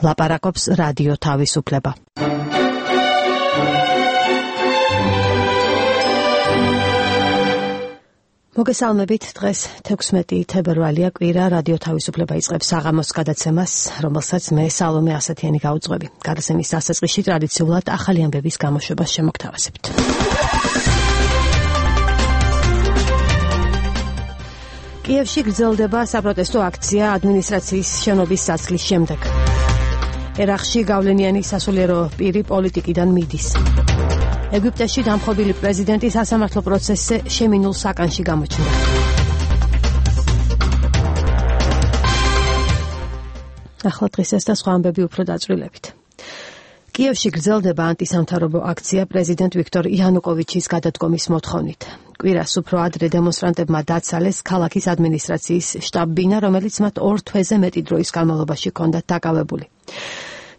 ლაპარაკობს რადიო თავისუფლება. მოგესალმებით, დღეს 16 თებერვალია, კვირა, რადიო თავისუფლება იწყებს საღამოს გადაცემას, რომელსაც მე სალომე ასათიანი გავუძღვები. გადაცემის დასაწყისში ტრადიციულად ახალი ამბების გამოშვებას შემოგთავაზებთ. კიევში გრძელდება საპროტესტო აქცია ადმინისტრაციის შენობის წასვლის შემდეგ. ერაყში გავლენიანი სასულიერო პირი პოლიტიკიდან მიდის. ეგვიპტეში დამხობილი პრეზიდენტი სასამართლო პროცესზე შემინულ საკანში გამოჩნდა. ახლა დღეს ეს და სხვა ამბები უფრო დაწვრილებით. კიევში გრძელდება ანტისამთავრობო აქცია პრეზიდენტ ვიქტორ იანუკოვიჩის გადადგომის მოთხოვნით. კვირას უფრო ადრე დემონსტრანტებმა დაცალეს ქალაქის ადმინისტრაციის შტაბ-ბინა, რომელიც მათ 2 თვეზე მეტი დროის განმავლობაში ჰქონდათ დაკავებული.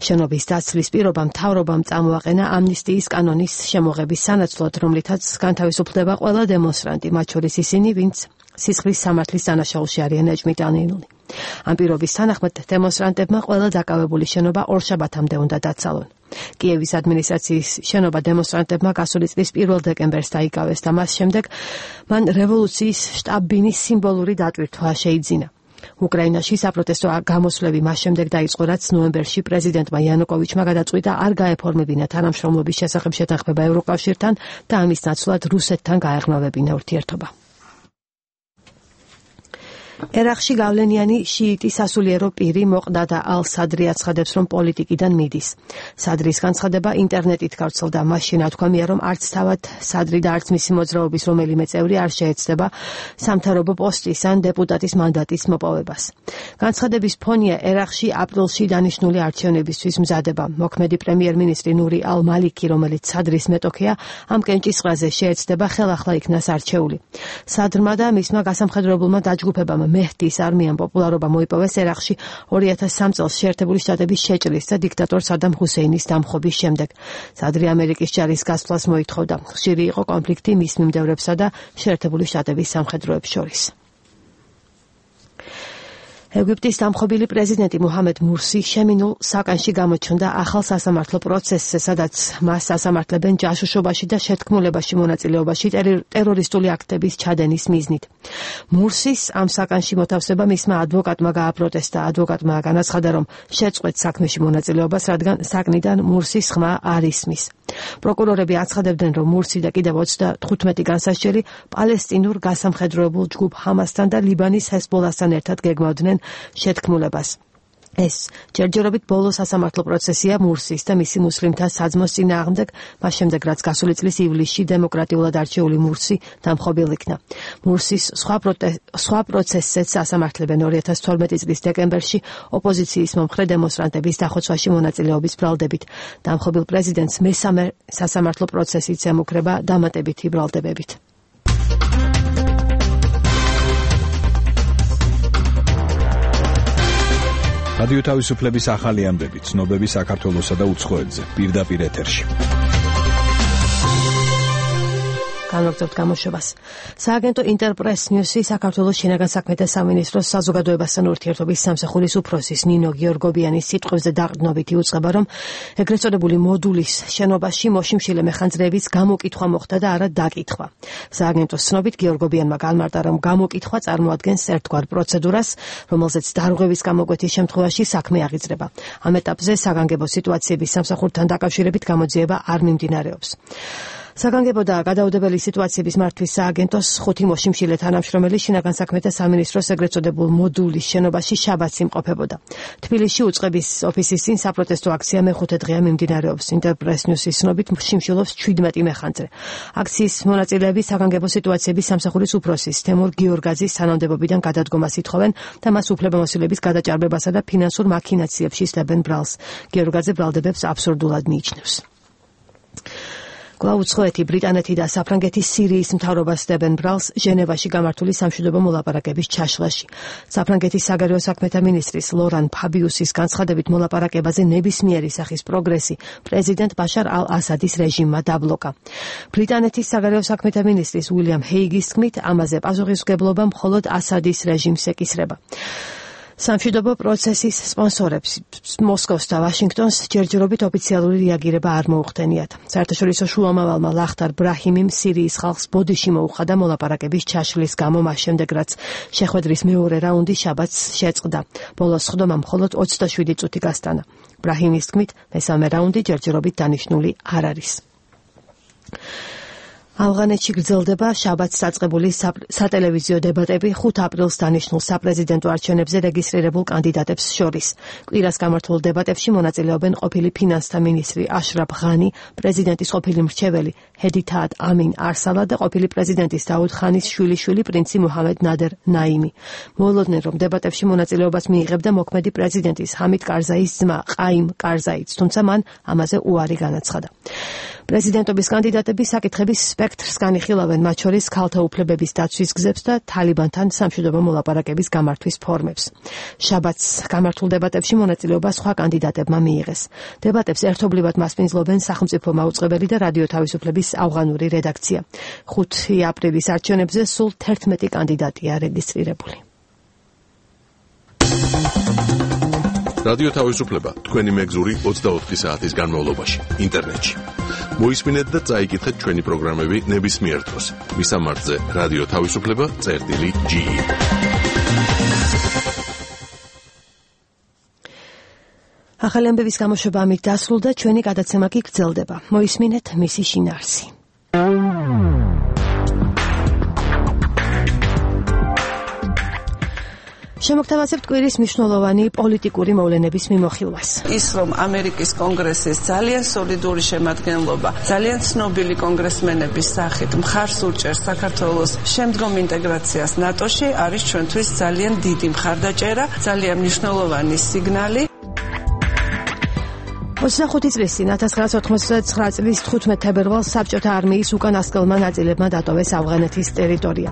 შენობის დაცლის პირობა მთავრობამ წამოაყენა ამნისტიის კანონის შემოღების სანაცვლოდ, რომლითაც განთავისუფლდება ყველა დემონსტრანტი, მათ შორის ისინი, ვინც სისხლის სამართლის დანაშაულში არიან ეჭვმიტანილნი. ამ პირობის თანახმად დემონსტრანტებმა ყველა დაკავებული შენობა ორშაბათამდე უნდა დაცალონ. კიევის ადმინისტრაციის შენობა დემონსტრანტებმა გასული წლის 1 დეკემბერს დაიკავეს და მას შემდეგ მან რევოლუციის შტაბ-ბინის სიმბოლური დატვირთვა შეიძინა. უკრაინაში საპროტესტო გამოსვლები მას შემდეგ დაიწყო, რაც ნოემბერში პრეზიდენტმა იანუკოვიჩმა გადაწყვიტა არ გაეფორმებინა თანამშრომლობის შესახებ შეთანხმება ევროკავშირთან და ამის ნაცვლად რუსეთთან გაეღმავებინა ურთიერთობა. ერაყში გავლენიანი შიიტი სასულიერო პირი მოყდადა ალ-სადრი აცხადებს, რომ პოლიტიკიდან მიდის. სადრის განცხადება ინტერნეტით გავრცელდა, მაშინ თქვამია, რომ არც თავად სადრი და არც მისი მოძრაობის რომელიმე წევრი არ შეეცდება სამთავრობო პოსტის ან დეპუტატის მანდატის მოპოვებას. განცხადების ფონია ერაყში აპრილში დანიშნული არჩევნებისთვის მზადება. მოქმედი პრემიერ-მინისტრი ნური ალ-მალიკი, რომელიც სადრის მეტოქეა, ამ კენჭისყრაზე შეეცდება ხელახლა იქნას არჩეული. სადრმა და მისმა გასამხედროებულმა დაჯგუფებამ მეჰდის არმიამ პოპულარობა მოიპოვეს ერაყში 2003 წელს შეერთებული შტატების შეჭრის და დიქტატორ სადამ ჰუსეინის დამხობის შემდეგ. სადრი ამერიკის ჯარის გასვლას მოითხოვდა. ხშირი იყო კონფლიქტი მის მიმდევრებსა და შეერთებული შტატების სამხედროებს შორის. ეგვიპტის დამხობილი პრეზიდენტი მუჰამედ მურსი შემინულ საკანში გამოჩნდა ახალ სასამართლო პროცესზე, სადაც მას სასამართლებენ ჯაშუშობაში და შეთქმულებაში მონაწილეობაში ტერორისტული აქტების ჩადენის მიზნით. მურსის ამ საკანში მოთავსება მისმა ადვოკატმა გააპროტესტა. ადვოკატმა განაცხადა, რომ შეწყვეტ საქმეში მონაწილეობას, რადგან საკნიდან მურსის ხმა არ ისმის. პროკურორები აცხადებდნენ, რომ მურსი და კიდევ 35 განსასჯელი პალესტინურ გასამხედროებულ ჯგუფ ჰამასთან და ლიბანის ჰეზბოლასთან ერთად გეგმავდნენ შეთქმულებას. ეს ჯერჯერობით ბოლო სასამართლო პროცესია მურსის და მისი მუსლიმთა საძმოს წინააღმდეგ, მას შემდეგ რაც გასული წლის ივლისში დემოკრატიულად არჩეული მურსი დამხობილ იქნა. მურსის სხვა პროცესზეც ასამართლებენ 2012 წლის დეკემბერში ოპოზიციის მომხრე დემონსტრანტების დახოცვაში მონაწილეობის ბრალდებით. დამხობილ პრეზიდენტს მესამე სასამართლო პროცესიც ემუქრება დამატებითი ბრალდებებით. რადიო თავისუფლების ახალი ამბები, ცნობები საქართველოსა და უცხოეთზე, პირდაპირ ეთერში. განვაგრძობთ გამოშვებას. სააგენტო ინტერპრეს ნიუსი საქართველოს შინაგან საქმეთა სამინისტროს საზოგადოებასთან ურთიერთობის სამსახურის უფროსის ნინო გიორგობიანის სიტყვებზე დაყრდნობით იუწყება, რომ ეგრეთ წოდებული მოდულის შენობაში მოშიმშილე მეხანძრეების გამოკითხვა მოხდა და არა დაკითხვა. სააგენტოს ცნობით გიორგობიანმა განმარტა, რომ გამოკითხვა წარმოადგენს ერთგვარ პროცედურას, რომელზეც დარღვევის გამოკვეთის შემთხვევაში საქმე აღიძრება. ამ ეტაპზე საგანგებო სიტუაციების სამსახურთან დაკავშირებით გამოძიება არ მიმდინარეობს. საგანგებო და გადაუდებელი სიტუაციების მართვის სააგენტოს 5 მოშიმშილე თანამშრომელი შინაგან საქმეთა სამინისტროს ეგრეთ წოდებულ მოდულის შენობაში შაბათს იმყოფებოდა. თბილისში უწყების ოფისის წინ საპროტესტო აქცია მე-5 დღეა მიმდინარეობს. ინტერპრეს ნიუსის ცნობით შიმშილობს 17 მეხანძრე. აქციის მონაწილეები საგანგებო სიტუაციების სამსახურის უფროსის თემურ გიორგაძის თანამდებობიდან გადადგომას ითხოვენ და მას უფლებამოსილების გადაჭარბებასა და ფინანსურ მაქინაციებში სდებენ ბრალს. გიორგაძე ბრალდებებს აბსურდულად მიიჩნევს. უცხოეთი, ბრიტანეთი და საფრანგეთის სირიის მთავრობას სდებენ ბრალს ჟენევაში გამართული სამშვიდობო მოლაპარაკების ჩაშლაში. საფრანგეთის საგარეო საქმეთა მინისტრის ლორან ფაბიუსის განცხადებით მოლაპარაკებაზე ნებისმიერი სახის პროგრესი პრეზიდენტ ბაშარ ალ-ასადის რეჟიმმა დაბლოკა. ბრიტანეთის საგარეო საქმეთა მინისტრის უილიამ ჰეიგის თქმით, ამაზე პასუხისმგებლობა მხოლოდ ასადის რეჟიმს ეკისრება. სამშვიდობო პროცესის სპონსორებს მოსკოვს და ვაშინგტონს ჯერჯერობით ოფიციალური რეაგირება არ მოუხდენიათ. საერთაშორისო შუამავალმა ლახტარ ბრაჰიმიმ სირიის ხალხს ბოდიში მოუხადა მოლაპარაკების ჩაშლის გამო მას შემდეგ, რაც შეხვედრის მეორე რაუნდი შაბათს შეწყდა. ბოლოს ხდომა მხოლოდ 27 წუთი გასტანა. ბრაჰიმის თქმით, მესამე რაუნდი ჯერჯერობით დანიშნული არ არის. ავღანეთში გრძელდება შაბათს დაწყებული სატელევიზიო დებატები 5 აპრილს დანიშნულ საპრეზიდენტო არჩევნებზე რეგისტრირებულ კანდიდატებს შორის. კვირას გამართულ დებატებში მონაწილეობენ ყოფილი ფინანსთა მინისტრი აშრაფ ღანი, პრეზიდენტის ყოფილი მრჩეველი ჰედითაატ ამინ არსალა და ყოფილი პრეზიდენტის დაუდ ხანის შვილიშვილი პრინცი მუჰამედ ნადერ ნაიმი. მოულოდნენ, რომ დებატებში მონაწილეობას მიიღებდა მოქმედი პრეზიდენტის ჰამიდ კარზაის ძმა ყაიმ კარზაიც, თუმცა მან ამაზე უარი განაცხადა. პრეზიდენტობის კანდიდატები საკითხების სპექტრს განიხილავენ, მათ შორის ქალთა უფლებების დაცვის გზებს და თალიბანთან სამშვიდობო მოლაპარაკების გამართვის ფორმებს. შაბათს გამართულ დებატებში მონაწილეობა სხვა კანდიდატებმა მიიღეს. დებატებს ერთობლივად მასპინძლობენ სახელმწიფო მაუწყებელი და რადიო თავისუფლების ავღანური რედაქცია. 5 აპრილის არჩევნებზე სულ 11 კანდიდატია რეგისტრირებული. რადიო თავისუფლება თქვენი მეგზური 24 საათის განმავლობაში ინტერნეტში. მოისმინეთ და წაიკითხეთ ჩვენი პროგრამები ნებისმიერ დროს. მისამართზე რადიო თავისუფლება.ge. ახალი ამბების გამოშვება ამით დასრულდა, ჩვენი გადაცემა კი გრძელდება. მოისმინეთ მისი შინაარსი. შემოგთავაზებთ კვირის მნიშვნელოვანი პოლიტიკური მოვლენების მიმოხილვას. ის, რომ ამერიკის კონგრესის ძალიან სოლიდური შემადგენლობა, ძალიან ცნობილი კონგრესმენების სახით მხარს უჭერს საქართველოს შემდგომ ინტეგრაციას ნატოში, არის ჩვენთვის ძალიან დიდი მხარდაჭერა, ძალიან მნიშვნელოვანი სიგნალი. 25 წლის წინ 1999 წლის 15 თებერვალს საბჭოთა არმიის უკანასკნელმა ნაწილებმა დატოვეს ავღანეთის ტერიტორია.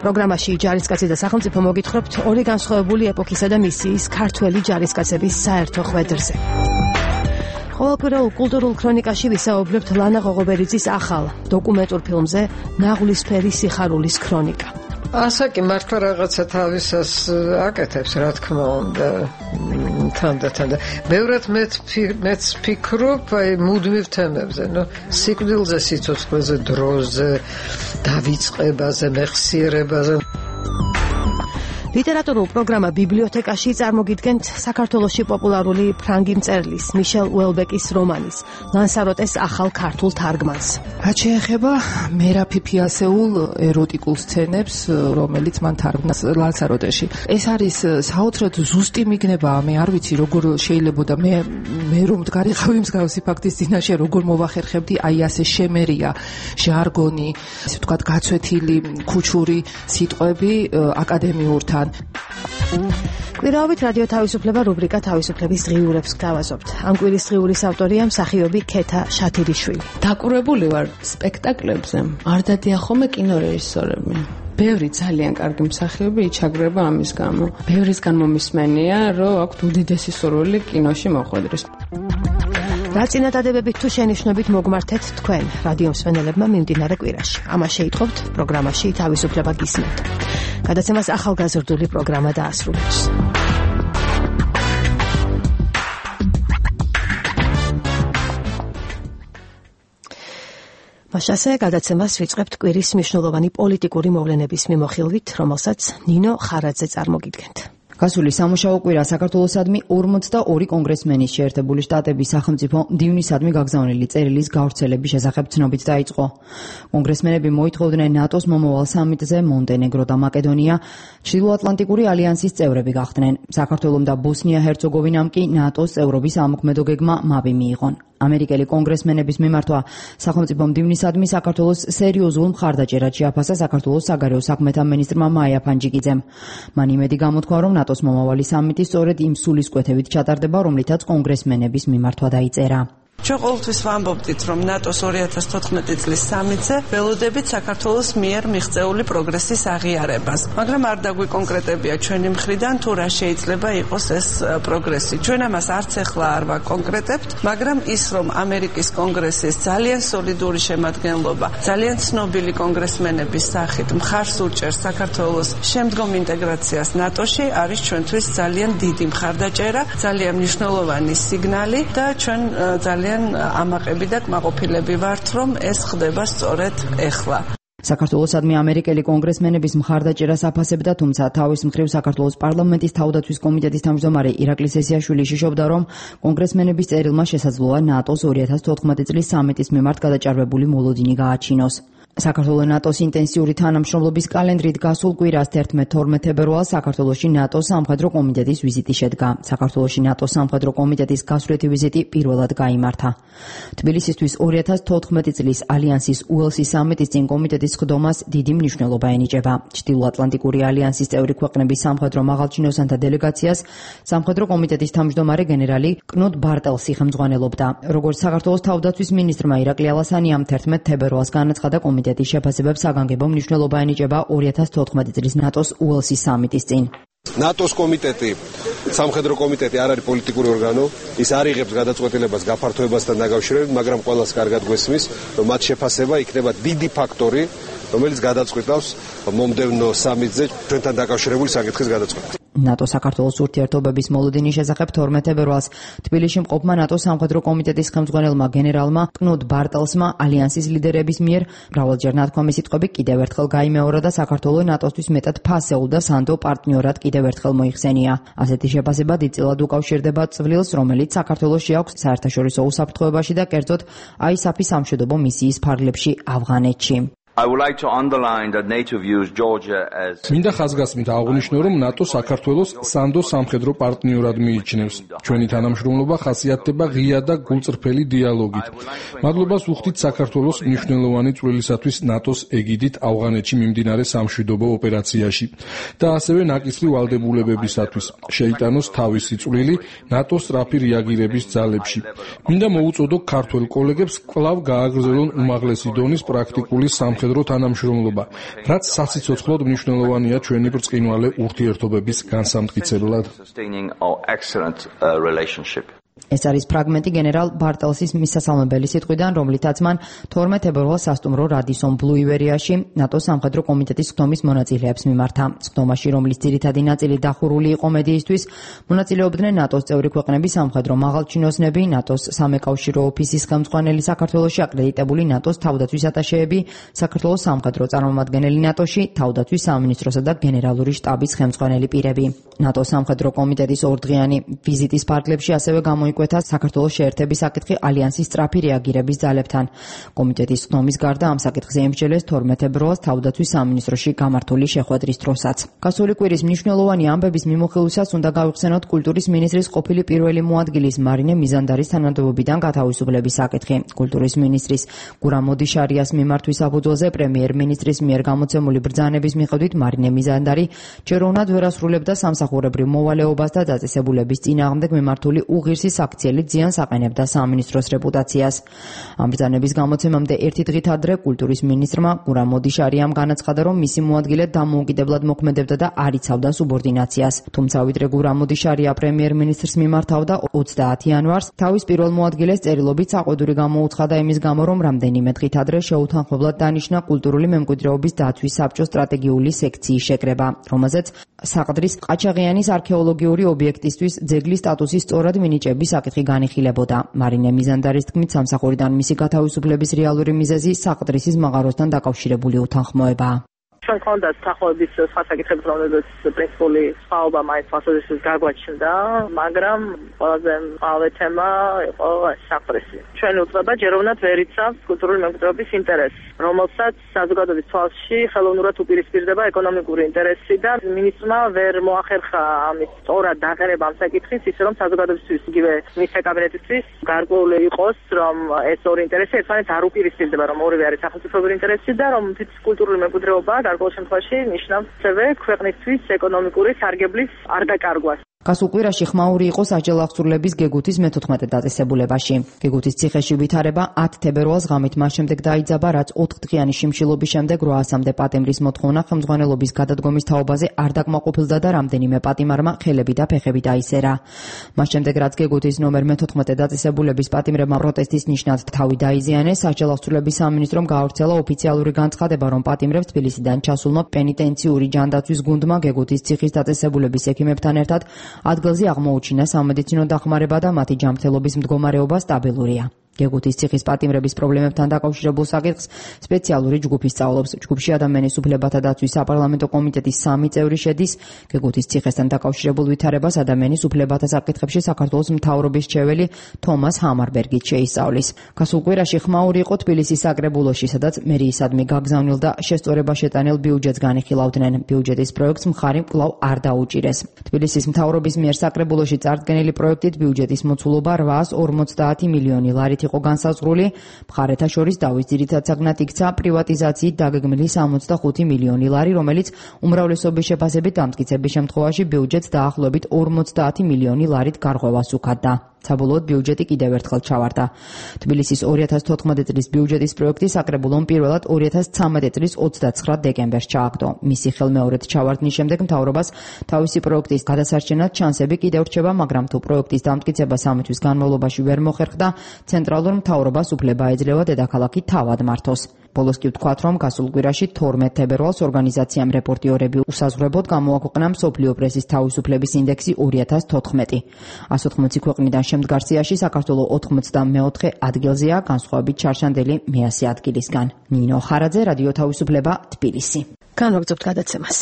პროგრამაში ჯარისკაცი და სახელმწიფო მოგითხრობთ ორი განსხვავებული ეპოქისა და მისიის ქართველი ჯარისკაცების საერთო ხვედრზე. ყოველკვირეულ კულტურულ ქრონიკაში ვისაუბრებთ ლანა ღოღობერიძის ახალ დოკუმენტურ ფილმზე ნაღვლისფერი სიხარულის ქრონიკა. ასაკი მართლა რაღაცა თავისას აკეთებს, რა თქმა უნდა, თანდათან. ბევრად მეც ფიქრობ აი მუდმივ თემებზე, სიკვდილზე, სიცოცხლეზე, დროზე, დავიწყებაზე, მეხსიერებაზე. ლიტერატურულ პროგრამა ბიბლიოთეკაში წარმოგიდგენთ საქართველოში პოპულარული ფრანგი მწერლის მიშელ უელბეკის რომანის ლანსაროტეს ახალ ქართულ თარგმანს. რაც შეეხება მერაფიფიასეულ ეროტიკულ სცენებს, რომელიც მან თარგმნა ლანსაროტეში. ეს არის საოცრად ზუსტი მიგნება, მე არ ვიცი როგორ შეიძლება და მე რომ მდგარიყავი მსგავსი ფაქტის წინაშე როგორ მოვახერხებდი აი ასე შემერია ჟარგონი, ესე ვთქვათ გაცვეთილი ქუჩური სიტყვები აკადემიურთან. კვირაობით რადიო თავისუფლება რუბრიკა თავისუფლების ღიურებს გთავაზობთ. ამ კვირის ღიურის ავტორია მსახიობი ქეთა შათირიშვილი. დაკურებული ვარ სპექტაკლებზე. არ დადიან ხოლმე კინორეჟისორები. ბევრი ძალიან კარგი მსახიობი იჩაგრება ამის გამო. ბევრისგან მომისმენია, რომ აქვთ უდიდესი სურვილი კინოში მოხვედრის. რა წინადადებებით თუ შენიშვნებით მოგმართეთ თქვენ რადიო მსმენელებმა მიმდინარე კვირაში. ამას შეითხოვთ პროგრამაში თავისუფლება გისმენთ. გადაცემას ახალგაზრდული პროგრამა დაასრულებს. მასაზე გადაცემას ვიწყებთ კვირის მნიშვნელოვანი პოლიტიკური მოვლენების მიმოხილვით, რომელსაც ნინო ხარაძე წარმოგიდგენთ. გასული სამუშაო კვირა საქართველოსადმი 42 კონგრესმენის შეერთებული შტატების სახელმწიფო მდივნისადმი გაგზავნილი წერილის გავრცელების შესახებ ცნობით დაიწყო. კონგრესმენები მოითხოვდნენ ნატოს მომავალ სამიტზე მონტენეგრო და მაკედონია ჩრდილოატლანტიკური ალიანსის წევრები გახდნენ. საქართველომ და ბოსნია-ჰერცეგოვინამ კი ნატოს წევრობის ამოქმედო გეგმა მაპი მიიღონ. ამერიკელი კონგრესმენების მიმართვა სახელმწიფო მდივნისადმი საქართველოს სერიოზულ მხარდაჭერად შეაფასა საქართველოს საგარეო საქმეთა მინისტრმა მაია ფანჯიკიძემ. მან იმედი გამოთქვა, რომ ნატოს მომავალი სამიტი სწორედ იმ სულისკვეთებით ჩატარდება, რომლითაც კონგრესმენების მიმართვა დაიწერა. ჩვენ ყოველთვის ვამბობდით, რომ ნატოს 2014 წლის სამიტზე ველოდებით საქართველოს მიერ მიღწეული პროგრესის აღიარებას, მაგრამ არ დაგვიკონკრეტებია ჩვენი მხრიდან თუ რა შეიძლება იყოს ეს პროგრესი. ჩვენ ამას არც ახლა არ ვაკონკრეტებთ, მაგრამ ის რომ ამერიკის კონგრესის ძალიან სოლიდური შემადგენლობა, ძალიან ცნობილი კონგრესმენების სახით მხარს უჭერს საქართველოს შემდგომ ინტეგრაციას ნატოში, არის ჩვენთვის ძალიან დიდი მხარდაჭერა, ძალიან მნიშვნელოვანი სიგნალი და ჩვენ ძალიან ამაყები და კმაყოფილები ვართ, რომ ეს ხდება სწორედ ეხლა. საქართველოსადმი ამერიკელი კონგრესმენების მხარდაჭერას აფასებდა, თუმცა თავის მხრივ საქართველოს პარლამენტის თავდაცვის კომიტეტის თავმჯდომარე ირაკლი სესიაშვილი შიშობდა, რომ კონგრესმენების წერილმა შესაძლოა ნატოს 2014 წლის სამიტის მიმართ გადაჭარბებული მოლოდინი გააჩინოს. საქართველოს ნატოს ინტენსიური თანამშრომლობის კალენდრით გასულ კვირას 11-12 ფებრუარს საქართველოში ნატოს სამხედრო კომიტეტის ვიზიტი შედგა. საქართველოში ნატოს სამხედრო კომიტეტის გასვლეთი ვიზიტი პირველად გაიმართა. თბილისისთვის 2014 წლის ალიანსის უელსის სამიტის წინ კომიტეტის ხდომას დიდი მნიშვნელობა ენიჭება. ჩრდილოატლანტიკური ალიანსის წევრი ქვეყნების სამხედრო მაღალჩინოსანთა დელეგაციას სამხედრო კომიტეტის თავმჯდომარე გენერალი კნუდ ბარტელსი ხელმძღვანელობდა. როგორც საქართველოს თავდაცვის მინისტრმა ირაკლი ალასანიამ 11 ფებრუარს განაცხადა, კომიტეტის შეფასებებს საგანგებო მნიშვნელობა ენიჭება 2014 წლის ნატოს უელსის სამიტის წინ. ნატოს კომიტეტი, სამხედრო კომიტეტი არ არის პოლიტიკური ორგანო, ის არ იღებს გადაწყვეტილებას გაფართოებასთან დაკავშირებით, მაგრამ ყველას კარგად გვესმის, რომ მათ შეფასება იქნება დიდი ფაქტორი, რომელიც გადაწყვეტავს მომდევნო სამიტზე ჩვენთან დაკავშირებული საკითხის გადაწყვეტას. ნატო საქართველოს ურთიერთობების მოლოდინის შესახებ 12 ფებრუარს თბილისში მყოფმა ნატოს სამხედრო კომიტეტის ხელმძღვანელმა გენერალმა კნუდ ბარტელსმა ალიანსის ლიდერების მიერ მრავალჯერ ნათქვამი სიტყვები კიდევ ერთხელ გაიმეორა და საქართველოს ნატოსთვის მეტად ფასეულ და სანდო პარტნიორად კიდევ ერთხელ მოიხსენია. ასეთი შეფასება დიდწილად უკავშირდება წვლილს, რომელიც საქართველოში აქვს საერთაშორისო უსაფრთხოებაში და კერძოდ ISAF-ის სამშვიდობო მისიის ფარგლებში ავღანეთში. I would like to underline that NATO views Georgia as მინდა ხაზგასმით აღვნიშნო, რომ ნატო საქართველოს სანდო სამხედრო პარტნიორად მიიჩნევს. ჩვენი თანამშრომლობა ხასიათდება ღია და გულწრფელი დიალოგით. მადლობას ვუხდით საქართველოს მნიშვნელოვანი წვლილისათვის ნატოს ეგიდით ავღანეთში მიმდინარე სამშვიდობო ოპერაციაში და ასევე ნაკისრი ვალდებულებებისათვის. შეიტანოს თავისი წვლილი ნატოს სწრაფი რეაგირების ძალებში. მინდა მოუწოდო ქართველ კოლეგებს კვლავ გააგრძელონ უმაღლესი დონის პრაქტიკული სამხედრო თანამშრომლობა, რაც სასიცოცხლოდ მნიშვნელოვანია ჩვენი ბრწყინვალე ურთიერთობების განსამტკიცებლად. ეს არის ფრაგმენტი გენერალ ბარტელსის მისასალმებელი სიტყვიდან, რომლითაც მან 12 ფებრუარს სასტუმრო რადისონ ბლუ ივერიაში ნატოს სამხედრო კომიტეტის ხდომის მონაწილეებს მიმართა. ხდომაში, რომლის ძირითადი ნაწილი დახურული იყო მედიისთვის, მონაწილეობდნენ ნატოს წევრი ქვეყნების სამხედრო მაღალჩინოსნები, ნატოს სამეკავშირო ოფისის ხელმძღვანელი საქართველოში აკრედიტებული ნატოს თავდაცვის ატაშეები, საქართველოს სამხედრო წარმომადგენელი ნატოში, თავდაცვის სამინისტროსა და გენერალური შტაბის ხელმძღვანელი პირები. ნატოს სამხედრო კომიტეტის ორდღიანი ვიზიტის ფარგლებში ასევე მოიკვეთა საქართველოს შეერთების საკითხი ალიანსის სწრაფი რეაგირების ძალებთან. კომიტეტის ხდომის გარდა ამ საკითხზე ემსჯელეს 12 ფებრუარს თავდაცვის სამინისტროში გამართული შეხვედრის დროსაც. გასული კვირის მნიშვნელოვანი ამბების მიმოხილვისას უნდა გავიხსენოთ კულტურის მინისტრის ყოფილი პირველი მოადგილის მარინე მიზანდარის თანამდებობიდან გათავისუფლების საკითხი. კულტურის მინისტრის გურამ მოდიშარიას მიმართვის საფუძველზე პრემიერ-მინისტრის მიერ გამოცემული ბრძანების მიხედვით მარინე მიზანდარი ჯეროვნად ვერ ასრულებდა სამსახურებრივ მოვალეობას და დაწესებულების წინააღმდეგ მიმართული უღირსი აქციელი ძიანს აყენებდა სამინისტროს რეპუტაციას. ამ ბრძანების გამოცემამდე ერთი დღით ადრე კულტურის მინისტრმა გურამ მოდიშარიამ განაცხადა, რომ მისი მოადგილე დამოუკიდებლად მოქმედებდა და არ იცავდა სუბორდინაციას. თუმცა ვიდრე გურამ მოდიშარია პრემიერ-მინისტრს მიმართავდა 30 იანვარს, თავის პირველ მოადგილეს წერილობით საყვედური გამოუცხადა იმის გამო, რომ რამდენიმე დღით ადრე შეუთანხმებლად დანიშნა კულტურული მემკვიდრეობის დაცვის საბჭოს სტრატეგიული სექციის შეკრება, რომელზეც საყდრის ყაჩაღიანის არქეოლოგიური ობიექტისთვის ძეგლის სტატუსის სწორად მინიჭების საკითხი განიხილებოდა. მარინე მიზანდარის თქმით, სამსახურიდან მისი გათავისუფლების რეალური მიზეზი საყდრისის მაღაროსთან დაკავშირებული უთანხმოებაა. ჩვენ გქონდათ თანხმოების სხვა საკითხები, რომლებიც პრინციპული სხვაობა მაინც მასწავლებლის გაგვაჩნდა, მაგრამ ყველაზე მთავარი თემა იყო საყდრისი. ჩვენ უწება ჯეროვნად ვერ იცავს კულტურული მემკვიდრეობის ინტერესს, რომელსაც საზოგადოების თვალში ხელოვნურად უპირისპირდება ეკონომიკური ინტერესი და მინისტრმა ვერ მოახერხა ამის სწორად დაყენება ამ საკითხის, ისე რომ საზოგადოებისთვის იგივე მის კაბინეტისთვის გარკვეული იყოს, რომ ეს ორი ინტერესი ერთმანეთს არ უპირისპირდება, რომ ორივე არის სახელმწიფოებრივი ინტერესი და რომ კულტურული მემკვიდრეობა გარკვეულ შემთხვევაში ნიშნავს ასევე ქვეყნისთვის ეკონომიკური სარგებლის არ დაკარგვას. გასულ კვირაში ხმაური იყო სასჯელ აღსრულების გეგუთის მე-14 დაწესებულებაში. გეგუთის ციხეში ვითარება 10 თებერვალს ღამით მას შემდეგ დაიძაბა, რაც 4 დღიანი შიმშილობის შემდეგ 800-მდე პატიმრის მოთხოვნა ხელმძღვანელობის გადადგომის თაობაზე არ დაკმაყოფილდა და რამდენიმე პატიმარმა ხელები და ფეხები დაისერა. მას შემდეგ, რაც გეგუთის ნომერ მე-14 დაწესებულების პატიმრებმა პროტესტის ნიშნად თავი დაიზიანეს, სასჯელ აღსრულების სამინისტრომ გაავრცელა ოფიციალური განცხადება, რომ პატიმრებს თბილისიდან ჩასულმა პენიტენციური ჯანდაცვის გუნდმა გეგუთის ციხის დაწესებულების ექიმებთან ერთად ადგილზე აღმოუჩინა სამედიცინო დახმარება და მათი ჯანმრთელობის მდგომარეობა სტაბილურია. გეგუთის ციხის პატიმრების პრობლემებთან დაკავშირებულ საკითხს სპეციალური ჯგუფი სწავლობს. ჯგუფში ადამიანის უფლებათა დაცვის საპარლამენტო კომიტეტის 3 წევრი შედის. გეგუთის ციხესთან დაკავშირებულ ვითარებას ადამიანის უფლებათა საკითხებში საქართველოს მთავრობის მრჩეველი თომას ჰამარბერგიც შეისწავლის. გასულ კვირაში ხმაური იყო თბილისის საკრებულოში, სადაც მერიისადმი გაგზავნილ და შესწორება შეტანილ ბიუჯეტს განიხილავდნენ. ბიუჯეტის პროექტს მხარი კვლავ არ დაუჭირეს. თბილისის მთავრობის მიერ საკრებულოში წარდგენილი პროექტით ბიუჯეტის მოცულობა 850 მილიონი ლარით იყო განსაზღვრული. მხარეთა შორის დავის ძირითად საგნად იქცა პრივატიზაციით დაგეგმილი 65 მილიონი ლარი, რომელიც უმრავლესობის შეფასებით დამტკიცების შემთხვევაში ბიუჯეტს დაახლოებით 50 მილიონი ლარით გარღვევას უხდიდა. საბოლოოდ ბიუჯეტი კიდევ ერთხელ ჩავარდა. თბილისის 2014 წლის ბიუჯეტის პროექტი საკრებულომ პირველად 2013 წლის 29 დეკემბერს ჩააგდო. მისი ხელმეორედ ჩავარდნის შემდეგ მთავრობას თავისი პროექტის გადასარჩენად ჩანსები კიდევ რჩება, მაგრამ თუ პროექტის დამტკიცება 3 თვის განმავლობაში ვერ მოხერხდა, ცენტრალურ მთავრობას უფლება ეძლევა დედაქალაქი თავად მართოს. ბოლოს კი ვთქვათ, რომ გასულ კვირაში 12 თებერვალს ორგანიზაციამ რეპორტიორები უსაზღვრებოდ გამოაქვეყნა მსოფლიო პრესის თავისუფლების ინდექსი 2014. 180 ქვეყნიდან შემდგარ სიაში საქართველო 84 ადგილზეა, განსხვავებით ჩარშანდელი მე-100 ადგილისგან. ნინო ხარაძე, რადიო თავისუფლება, თბილისი. განვაგრძობთ გადაცემას.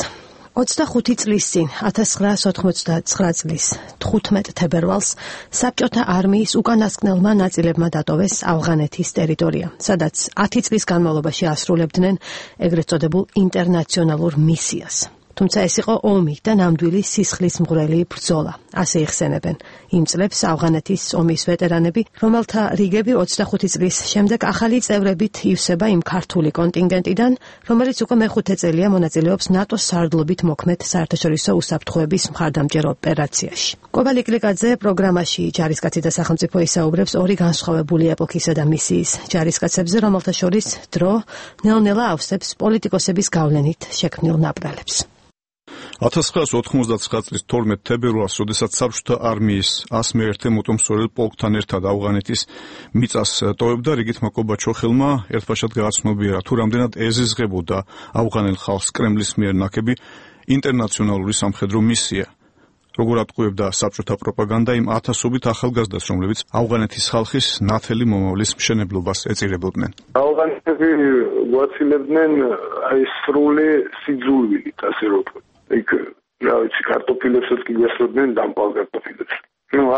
25 წლის წინ 1989 წლის 15 თებერვალს საბჭოთა არმიის უკანასკნელმა ნაწილებმა დატოვეს ავღანეთის ტერიტორია, სადაც 10 წლის განმავლობაში ასრულებდნენ ეგრეთ წოდებულ ინტერნაციონალურ მისიას. თუმცა ეს იყო ომი და ნამდვილი სისხლის მღვრელი ბრძოლა. ასე იხსენებენ იმ წლებს ავღანეთის ომის ვეტერანები, რომელთა რიგები 25 წლის შემდეგ ახალი წევრებით ივსება იმ ქართული კონტინგენტიდან, რომელიც უკვე მე-5 წელია მონაწილეობს ნატოს სარდლობით მოქმედ საერთაშორისო უსაფრთხოების მხარდამჭერ ოპერაციაში. კობალი კლიკაძე პროგრამაში ჯარისკაცი და სახელმწიფო ისაუბრებს ორი განსხვავებული ეპოქისა და მისიის ჯარისკაცებზე, რომელთა შორის დრო ნელ-ნელა ავსებს პოლიტიკოსების გავლენით შექმნილ ნაპრალებს. 1999 წლის 12 თებერვალს, როდესაც საბჭოთა არმიის 101 მოტომსორელ პოლკთან ერთად ავღანეთის მიწას ტოვებდა, რიგით მაკობა ჩოხელმა ერთბაშად გააცნობიერა, თუ რამდენად ეზიზღებოდა ავღანელ ხალხს კრემლის მიერ ნაკები ინტერნაციონალური სამხედრო მისია. როგორ ატყუებდა საბჭოთა პროპაგანდა იმ ათასობით ახალგაზრდას, რომლებიც ავღანეთის ხალხის ნათელი მომავლის მშენებლობას ეწირებოდნენ. ავღანეთები გვაცილებდნენ აი სრული სიძულვილით, ასე რომ იქ რა ვიცი, კარტოფილებსაც კი გვესწორდნენ, დამპალ კარტოფილებს.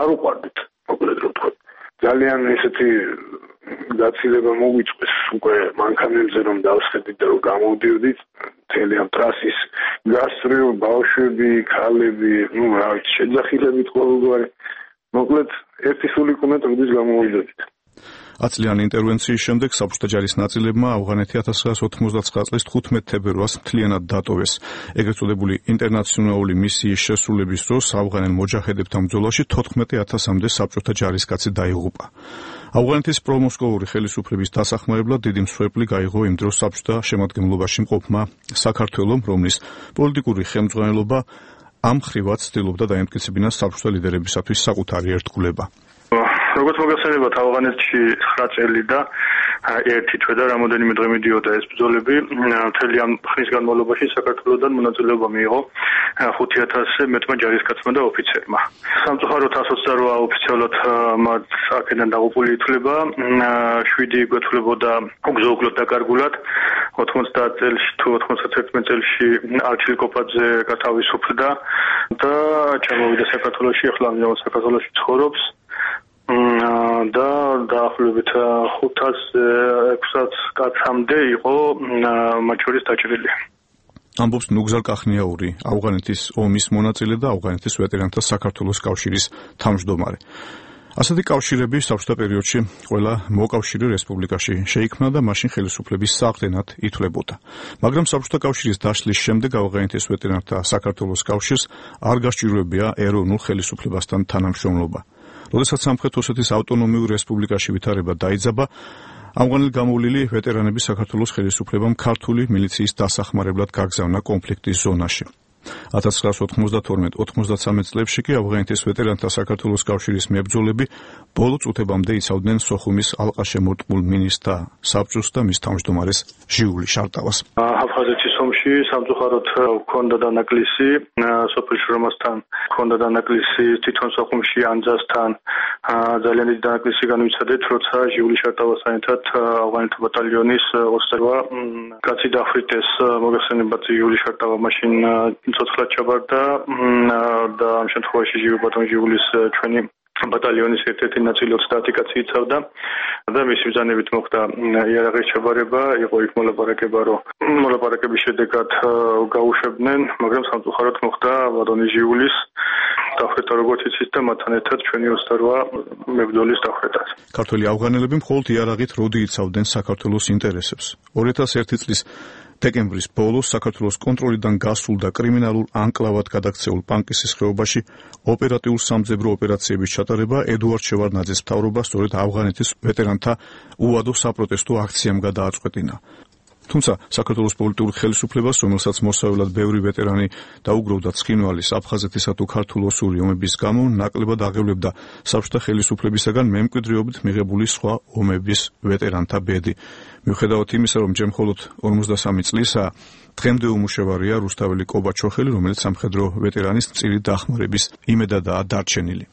არ უყვარდით, მოკლედ რომ ვთქვა. ძალიან ესეთი გაცილება მოგვიწყვეს უკვე მანქანებზე რომ დავსხედით და რომ გამოვდიოდით, მთელი ამ ტრასის გასწრილ ბავშვები, ქალები, რა ვიცი, შეძახილებით ყოველგვარი. მოკლედ ერთი სული ყונה ტყდის გამოვიდოდით. 10 წლიანი ინტერვენციის შემდეგ საბჭოთა ჯარის ნაწილებმა ავღანეთი 1999 წლის 15 თებერვალს მთლიანად დატოვეს. ეგრეთ წოდებული ინტერნაციონალური მისიის შესრულების დროს ავღანელ მოჯაჰედებთან ბრძოლაში 14,000-მდე საბჭოთა ჯარისკაცი დაიღუპა. ავღანეთის პრომოსკოვური ხელისუფლების დასახმარებლად დიდი მსხვერპლი გაიღო იმ დროს საბჭოთა შემადგენლობაში მყოფმა საქართველომ, რომლის პოლიტიკური ხელმძღვანელობა ამ ხრივად ცდილობდა დაემტკიცებინა საბჭოთა ლიდერებისათვის საკუთარი ერთგულება. როგორც მოგახსენებათ, ავღანეთში 9 წელი და ერთი თვე და რამოდენიმე დღე მიდიოდა ეს ბრძოლები. მთელი ამ ხნის განმავლობაში საქართველოსთან მონაწილეობა მიიღო 5000-ზე მეტმა ჯარისკაცმა და ოფიცერმა. სამწუხაროდ 128 ოფიციალურად მათ აქედან დაღუპული ითვლება, 7 გვეთვლებოდა უგზო-უკლოდ დაკარგულად. 90 წელს თუ 91 წელში არჩილ კოპაძე გათავისუფლდა და ჩამოვიდა საქართველოში, ახლა ამჟამად საქართველოში ცხოვრობს. და დაახლოებით 500-600 კაცამდე იყო მათ შორის დაჭრილი. ამბობს ნუგზარ კახნიაური, ავღანეთის ომის მონაწილე და ავღანეთის ვეტერანთა საქართველოს კავშირის თავმჯდომარე. ასეთი კავშირები საბჭოთა პერიოდში ყველა მოკავშირე რესპუბლიკაში შეიქმნა და მაშინ ხელისუფლების საყრდენად ითვლებოდა. მაგრამ საბჭოთა კავშირის დაშლის შემდეგ ავღანეთის ვეტერანთა საქართველოს კავშირს არ გასჭიროებია ეროვნულ ხელისუფლებასთან თანამშრომლობა. როდესაც სამხრეთ ოსეთის ავტონომიურ რესპუბლიკაში ვითარება დაიძაბა, ამგვარად გამოვლილი ვეტერანები საქართველოს ხელისუფლებამ ქართული მილიციის დასახმარებლად გაგზავნა კონფლიქტის ზონაში. 1992-93 წლებში კი ავღანეთის ვეტერანთა საქართველოს კავშირის მებრძოლები ბოლო წუთებამდე იცავდნენ სოხუმის ალყაშემორტყმულ მინისტრთა საბჭოს და მის თავმჯდომარეს ჟიული შარტავას. აფხაზეთის ომში სამწუხაროდ ჰქონდა დანაკლისი სოფელ შრომასთან, ჰქონდა დანაკლისი თვითონ სოხუმში ანძასთან. ძალიან დიდი დანაკლისი განვიცადეთ, როცა ჟიული შარტავასთან ერთად ავღანეთის ბატალიონის 28 კაცი დახვრიტეს. მოგეხსენებათ, ჟიული შარტავა მაშინ ცოცხლად ჩაბარდა და ამ შემთხვევაში ჟიულის ჩვენი ბატალიონის ერთ-ერთი ნაწილი 30 კაცი იცავდა და მისი ბრძანებით მოხდა იარაღის ჩაბარება, იყო იქ მოლაპარაკება, რომ მოლაპარაკების შედეგად გაუშვებდნენ, მაგრამ სამწუხაროდ მოხდა ბატონი ჟიულის დახვრეტა, როგორც იცით, და მათთან ერთად ჩვენი 28 მებრძოლის დახვრეტაც. ქართველი ავღანელები მხოლოდ იარაღით როდი იცავდნენ საქართველოს ინტერესებს. 2001 წლის დეკემბრის ბოლოს საქართველოს კონტროლიდან გასულ და კრიმინალურ ანკლავად გადაქცეულ პანკისის ხეობაში ოპერატიულ სამძებრო ოპერაციების ჩატარება ედუარდ შევარდნაძის მთავრობას სწორედ ავღანეთის ვეტერანთა უვადო საპროტესტო აქციამ გადააწყვეტინა. თუმცა საქართველოს პოლიტიკურ ხელისუფლებას, რომელსაც მოსავალად ბევრი ვეტერანი დაუგროვდა ცხინვალის, აფხაზეთისა თუ ქართულ-ოსური ომების გამო, ნაკლებად აღევლებდა საბჭოთა ხელისუფლებისაგან მემკვიდრეობით მიღებული სხვა ომების ვეტერანთა ბედი. მიუხედავად იმისა, რომ ჯერ მხოლოდ 53 წლისაა, დღემდე უმუშევარია რუსთაველი კობაჩოხელი, რომელიც სამხედრო ვეტერანის წილი დახმარების იმედადაა დარჩენილი.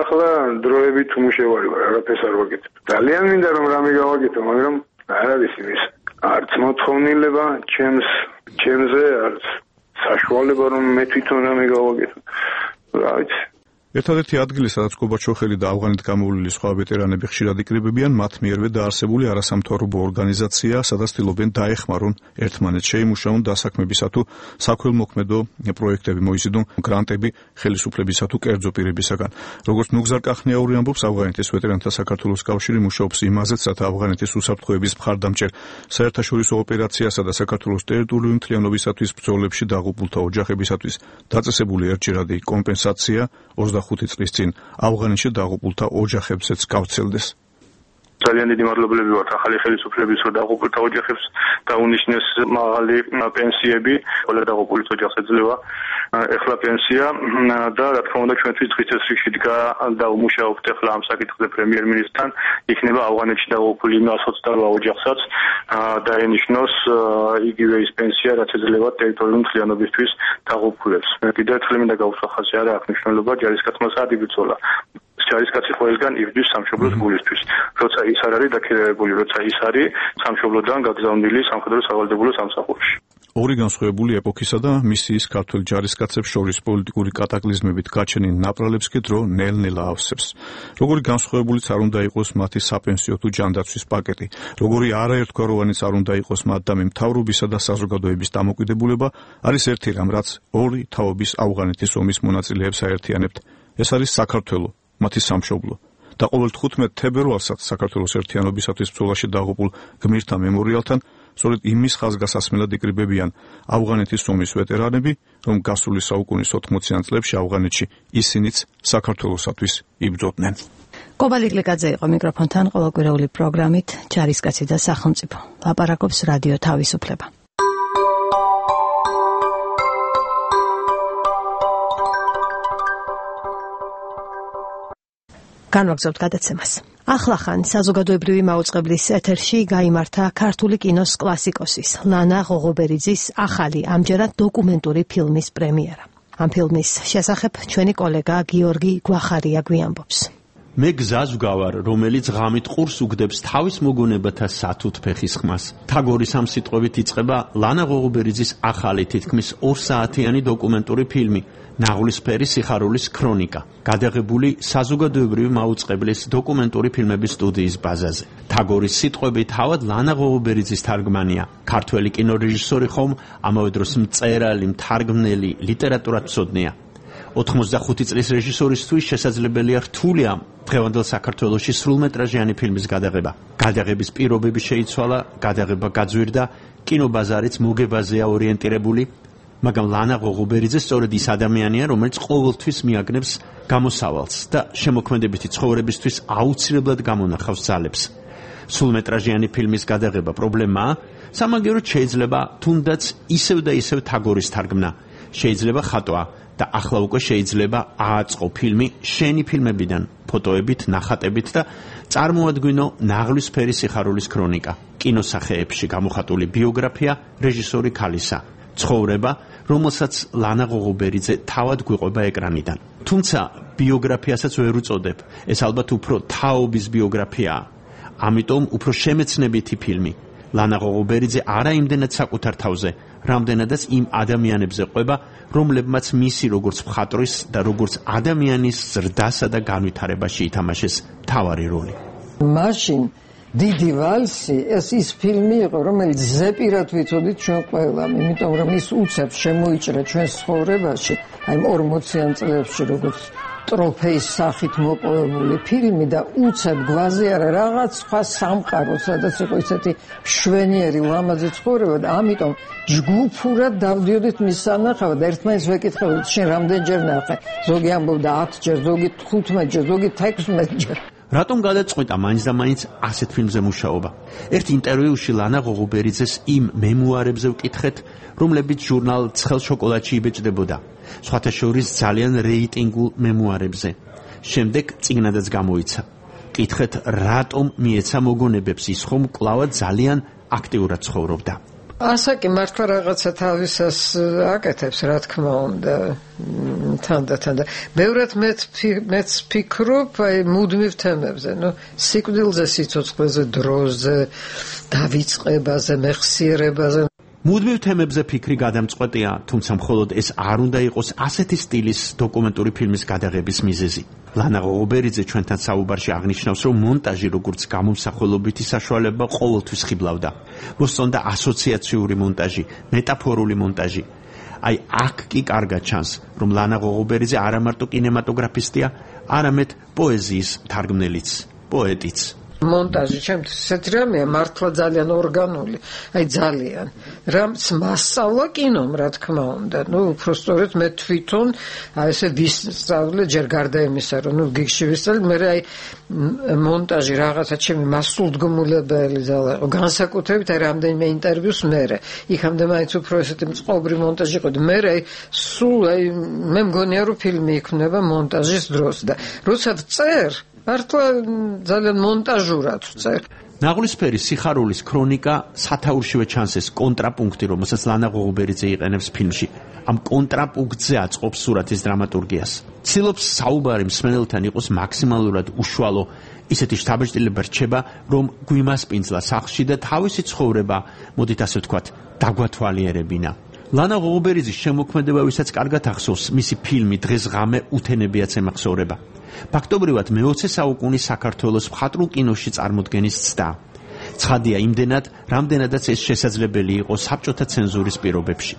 ახლა დროებით უმუშევარი ვარ, არაფერს არ ვაკეთებ. ძალიან მინდა რომ რამე გავაკეთო, მაგრამ არ არის იმის. არც მოთხოვნილება ჩემზე, არც საშუალება რომ მე თვითონ რამე გავაკეთო. რა ვიცი. ერთადერთი ადგილი, სადაც კობაჩოხელი და ავღანეთ გამოვლილი სხვა ვეტერანები ხშირად იკრიბებიან, მათ მიერვე დაარსებული არასამთავრობო ორგანიზაცია, სადაც ცდილობენ დაეხმარონ ერთმანეთს, შეიმუშაონ დასაქმებისა თუ საქველმოქმედო პროექტები, მოიზიდონ გრანტები ხელისუფლებისა თუ კერძო პირებისაგან. როგორც ნუგზარ კახნიაური ამბობს, ავღანეთის ვეტერანთა საქართველოს კავშირი მუშაობს იმაზეც, რათა ავღანეთის უსაფრთხოების მხარდამჭერ საერთაშორისო ოპერაციასა და საქართველოს ტერიტორიული მთლიანობისათვის ბრძოლებში დაღუპულთა ოჯახებისათვის დაწესებული ერთჯერადი კომპენსაცია 25 წლის წინ ავღანეთში დაღუპულთა ოჯახებსაც გავცელდეს. ძალიან დიდი მადლობლები ვართ ახალი ხელისუფლების, რომ დაღუპულთა ოჯახებს დაუნიშნეს მაღალი პენსიები, ყველა დაღუპულის ოჯახს ეძლევა ეხლა პენსია და რა თქმა უნდა ჩვენთვის დღის წესრიგში დგა და უმუშაობთ ეხლა ამ საკითხზე პრემიერ-მინისტრთან, იქნება ავღანეთში დაღუპული 128 ოჯახსაც დაენიშნოს იგივე ის პენსია, რაც ეძლევა ტერიტორიული მთლიანობისთვის დაღუპულებს. კიდევ ერთხელ მინდა გავუსახასე, არა აქვს მნიშვნელობა ჯარისკაცმა სად იბრძოლა. ჯარისკაცი ყველგან იბრძვის სამშობლოს გულისთვის. როცა ის არ არის დაქირავებული, როცა ის არის სამშობლოდან გაგზავნილი სამხედრო სავალდებულო სამსახურში. ორი განსხვავებული ეპოქისა და მისიის ქართველ ჯარისკაცებს შორის პოლიტიკური კატაკლიზმებით გაჩენილ ნაპრალებს კი დრო ნელ-ნელა ავსებს. როგორი განსხვავებულიც არ უნდა იყოს მათი საპენსიო თუ ჯანდაცვის პაკეტი, როგორი არაერთგვაროვანიც არ უნდა იყოს მათდამი მთავრობისა და საზოგადოების დამოკიდებულება, არის ერთი რამ, რაც ორი თაობის ავღანეთის ომის მონაწილეებს აერთიანებთ. ეს არის საქართველო, მათი სამშობლო. და ყოველ 15 თებერვალსაც საქართველოს ერთიანობისათვის ბრძოლაში დაღუპულ გმირთა მემორიალთან სწორედ იმის ხაზგასასმელად იკრიბებიან ავღანეთის ომის ვეტერანები, რომ გასული საუკუნის 80-იან წლებში ავღანეთში ისინიც საქართველოსათვის იბრძოდნენ. კობალი გლიკაძე იყო მიკროფონთან ყოველკვირეული პროგრამით ჯარისკაცი და სახელმწიფო. ლაპარაკობს რადიო თავისუფლება. განვაგრძობთ გადაცემას. ახლახან საზოგადოებრივი მაუწყებლის ეთერში გაიმართა ქართული კინოს კლასიკოსის ლანა ღოღობერიძის ახალი ამჯერად დოკუმენტური ფილმის პრემიერა. ამ ფილმის შესახებ ჩვენი კოლეგა გიორგი გვახარია გვიამბობს. მე გზას ვგავარ, რომელიც ღამით ყურს უგდებს თავის მოგონებათა სათუთ ფეხის ხმას. თაგორის ამ სიტყვებით იწყება ლანა ღოღობერიძის ახალი თითქმის 2 საათიანი დოკუმენტური ფილმი ნაღვლისფერი სიხარულის ქრონიკა, გადაღებული საზოგადოებრივი მაუწყებლის დოკუმენტური ფილმების სტუდიის ბაზაზე. თაგორის სიტყვებით თავად ლანა ღოღობერიძის თარგმანია, ქართველი კინორეჟისორი ხომ, ამავე დროს მწერალი, მთარგმნელი, ლიტერატურათმცოდნეა. 85 წლის რეჟისორისთვის შესაძლებელია რთული ამ დღევანდელ საქართველოში სრულმეტრაჟიანი ფილმის გადაღება. გადაღების პირობები შეიცვალა, გადაღება გაძვირდა, კინობაზარიც მოგებაზეა ორიენტირებული, მაგრამ ლანა ღოღუბერიძე სწორედ ის ადამიანია, რომელიც ყოველთვის მიაგნებს გამოსავალს და შემოქმედებითი ცხოვრებისთვის აუცილებლად გამონახავს ძალებს. სრულმეტრაჟიანი ფილმის გადაღება პრობლემაა, სამაგიეროდ შეიძლება თუნდაც ისევ და ისევ თაგორის თარგმნა, შეიძლება ხატვა და ახლა უკვე შეიძლება ააწყო ფილმი შენი ფილმებიდან, ფოტოებით, ნახატებით და წარმოადგინო ნაღლისფერი სიხარულის ქრონიკა, კინოსახეებში გამოხატული ბიოგრაფია რეჟისორი ქალისა, ცხოვრება, რომელსაც ლანა ღოღუბერიძე თავად გვიყვება ეკრანიდან. თუმცა ბიოგრაფიასაც ვერ უწოდებ, ეს ალბათ უფრო თაობის ბიოგრაფიაა. ამიტომ უფრო შემეცნებითი ფილმი. ლანა ღოღუბერიძე არა იმდენად საკუთარ თავზე, რამდენადაც იმ ადამიანებზე ყვება, რომლებმაც მისი როგორც მხატვრის და როგორც ადამიანის ზრდასა და განვითარებაში ითამაშეს მთავარი როლი. მაშინ დიდი ვალსი ეს ის ფილმი იყო, რომელიც ზეპირად ვიცოდით ჩვენ ყველამ, იმიტომ რომ ის უცებ შემოიჭრა ჩვენს ცხოვრებაში, აი 40-იან წლებში როგორც ტროფეის სახით მოპოვებული ფილმი და უცებ გვაზე არა რაღაც სხვა სამყარო, სადაც იყო ისეთი მშვენიერი ლამაზი ცხოვრება და ამიტომ ჯგუფურად დავდიოდით მის სანახავად და ერთმანეთს ვეკითხებოდით, შენ რამდენჯერ ნახე? ზოგი ამბობდა 10 ჯერ, ზოგი 15 ჯერ, ზოგი 16 ჯერ. რატომ გადაწყვიტა მაინც და მაინც ასეთ ფილმზე მუშაობა? ერთ ინტერვიუში ლანა ღოღუბერიძეს იმ მემუარებზე ვკითხეთ, რომლებიც ჟურნალ ცხელ შოკოლადში იბეჭდებოდა. სხვათა შორის ძალიან რეიტინგულ მემუარებზე. შემდეგ წიგნადაც გამოიცა. კითხეთ, რატომ მიეცა მოგონებებს ის ხომ კვლავად ძალიან აქტიურად ცხოვრობდა. ასაკი მართლა რაღაცა თავისას აკეთებს, რა თქმა უნდა, თანდათან და ბევრად მეც ფიქრობ აი მუდმივ თემებზე, სიკვდილზე, სიცოცხლეზე, დროზე, დავიწყებაზე, მეხსიერებაზე. მუდმივ თემებზე ფიქრი გადამწყვეტია, თუმცა მხოლოდ ეს არ უნდა იყოს ასეთი სტილის დოკუმენტური ფილმის გადაღების მიზეზი. ლანა ღოღუბერიძე ჩვენთან საუბარში აღნიშნავს, რომ მონტაჟი როგორც გამომსახველობითი საშუალება ყოველთვის ხიბლავდა. მოსწონდა ასოციაციური მონტაჟი, მეტაფორული მონტაჟი. აი აქ კი კარგად ჩანს, რომ ლანა ღოღუბერიძე არა მარტო კინემატოგრაფისტია, არამედ პოეზიის მთარგმნელიც, პოეტიც. მონტაჟი ჩემთვის ესეთი რამეა მართლა ძალიან ორგანული, აი ძალიან. რამც მასწავლა კინომ, რა თქმა უნდა. უბრალოდ მე თვითონ აი ესე ვისწავლე ჯერ გარდა იმისა, რომ გიგში ვისწავლე, მე აი მონტაჟი რაღაცა ჩემი მასულდგმულებელი ძალა იყო. განსაკუთრებით აი რამდენიმე ინტერვიუს მერე. იქამდე მაინც უფრო ესეთი მწყობრი მონტაჟი იყო. მე აი სულ აი მე მგონია რომ ფილმი იქნება მონტაჟის დროს და როცა ვწერ მართლა ძალიან მონტაჟურად ვწერ. ნაღლისფერი სიხარულის ქრონიკა სათაურშივე ჩანს ეს კონტრაპუნქტი, რომელსაც ლანა ღოღუბერიძე იყენებს ფილმში. ამ კონტრაპუნქტზე აწყობს სურათის დრამატურგიას. ცდილობს საუბარი მსმენელთან იყოს მაქსიმალურად უშუალო, ისეთი შთაბეჭდილება რჩება, რომ გვიმასპინძლა სახლში და თავისი ცხოვრება, მოდით ასე ვთქვათ, დაგვათვალიერებინა. ლანა ღოღუბერიძის შემოქმედება, ვისაც კარგად ახსოვს, მისი ფილმი დღეს ღამე უთენებიაც ემახსოვრება. ფაქტობრივად მე-20 საუკუნის საქართველოს მხატვრულ კინოში წარმოდგენის ცდა. ცხადია იმდენად, რამდენადაც ეს შესაძლებელი იყო საბჭოთა ცენზურის პირობებში.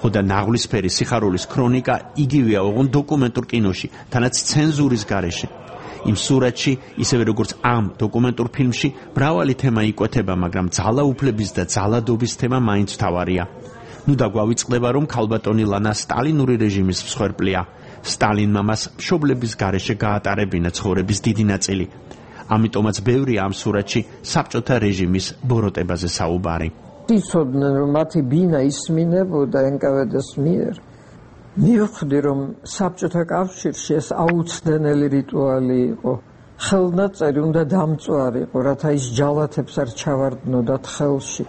ხოდა ნაღლისფერი სიხარულის ქრონიკა იგივეა ოღონდ დოკუმენტურ კინოში, თანაც ცენზურის გარეშე. იმ სურათში, ისევე როგორც ამ დოკუმენტურ ფილმში, მრავალი თემა იკვეთება, მაგრამ ძალაუფლების და ძალადობის თემა მაინც მთავარია. ნუ დაგვავიწყდება, რომ ქალბატონი ლანა სტალინური რეჟიმის მსხვერპლია. სტალინმა მას მშობლების გარეშე გაატარებინა ცხოვრების დიდი ნაწილი. ამიტომაც ბევრი ამ სურათში საბჭოთა რეჟიმის ბოროტებაზე საუბარი. იცოდნენ რომ მათი ბინა ისმინებოდა NKVD-ს მიერ. მივხვდი რომ საბჭოთა კავშირში ეს აუცდენელი რიტუალი იყო. ხელნაწერი უნდა დამწვარიყო, რათა ის ჯალათებს არ ჩავარდნოდათ ხელში.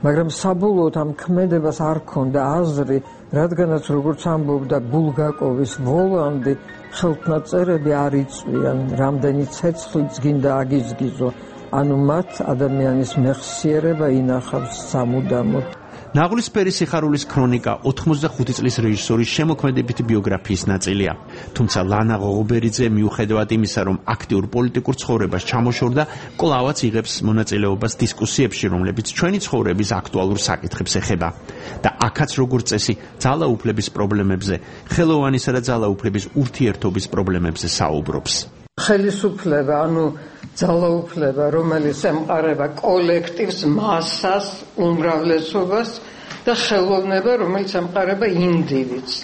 მაგრამ საბოლოოდ ამ ქმედებას არ ქონდა აზრი, რადგანაც როგორც ამბობდა ბულგაკოვის ვოლანდი, ხელნაწერები არ იწვიან, რამდენი ცეცხლიც გინდა აგიზგიზო. ანუ მათ ადამიანის მეხსიერება ინახავს სამუდამოდ. ნაღლისფერი სიხარულის ქრონიკა 85 წლის რეჟისორის შემოქმედებითი ბიოგრაფიის ნაწილია. თუმცა ლანა ღოღობერიძე მიუხედავად იმისა, რომ აქტიურ პოლიტიკურ ცხოვრებას ჩამოშორდა, კვლავაც იღებს მონაწილეობას დისკუსიებში, რომლებიც ჩვენი ცხოვრების აქტუალურ საკითხებს ეხება. და აქაც როგორც წესი, ძალაუფლების პრობლემებზე, ხელოვანისა და ძალაუფლების ურთიერთობის პრობლემებზე საუბრობს. ხელისუფლება, ძალაუფლება, რომელიც ემყარება კოლექტივს, მასას, უმრავლესობას და ხელოვნება, რომელიც ემყარება ინდივიდს.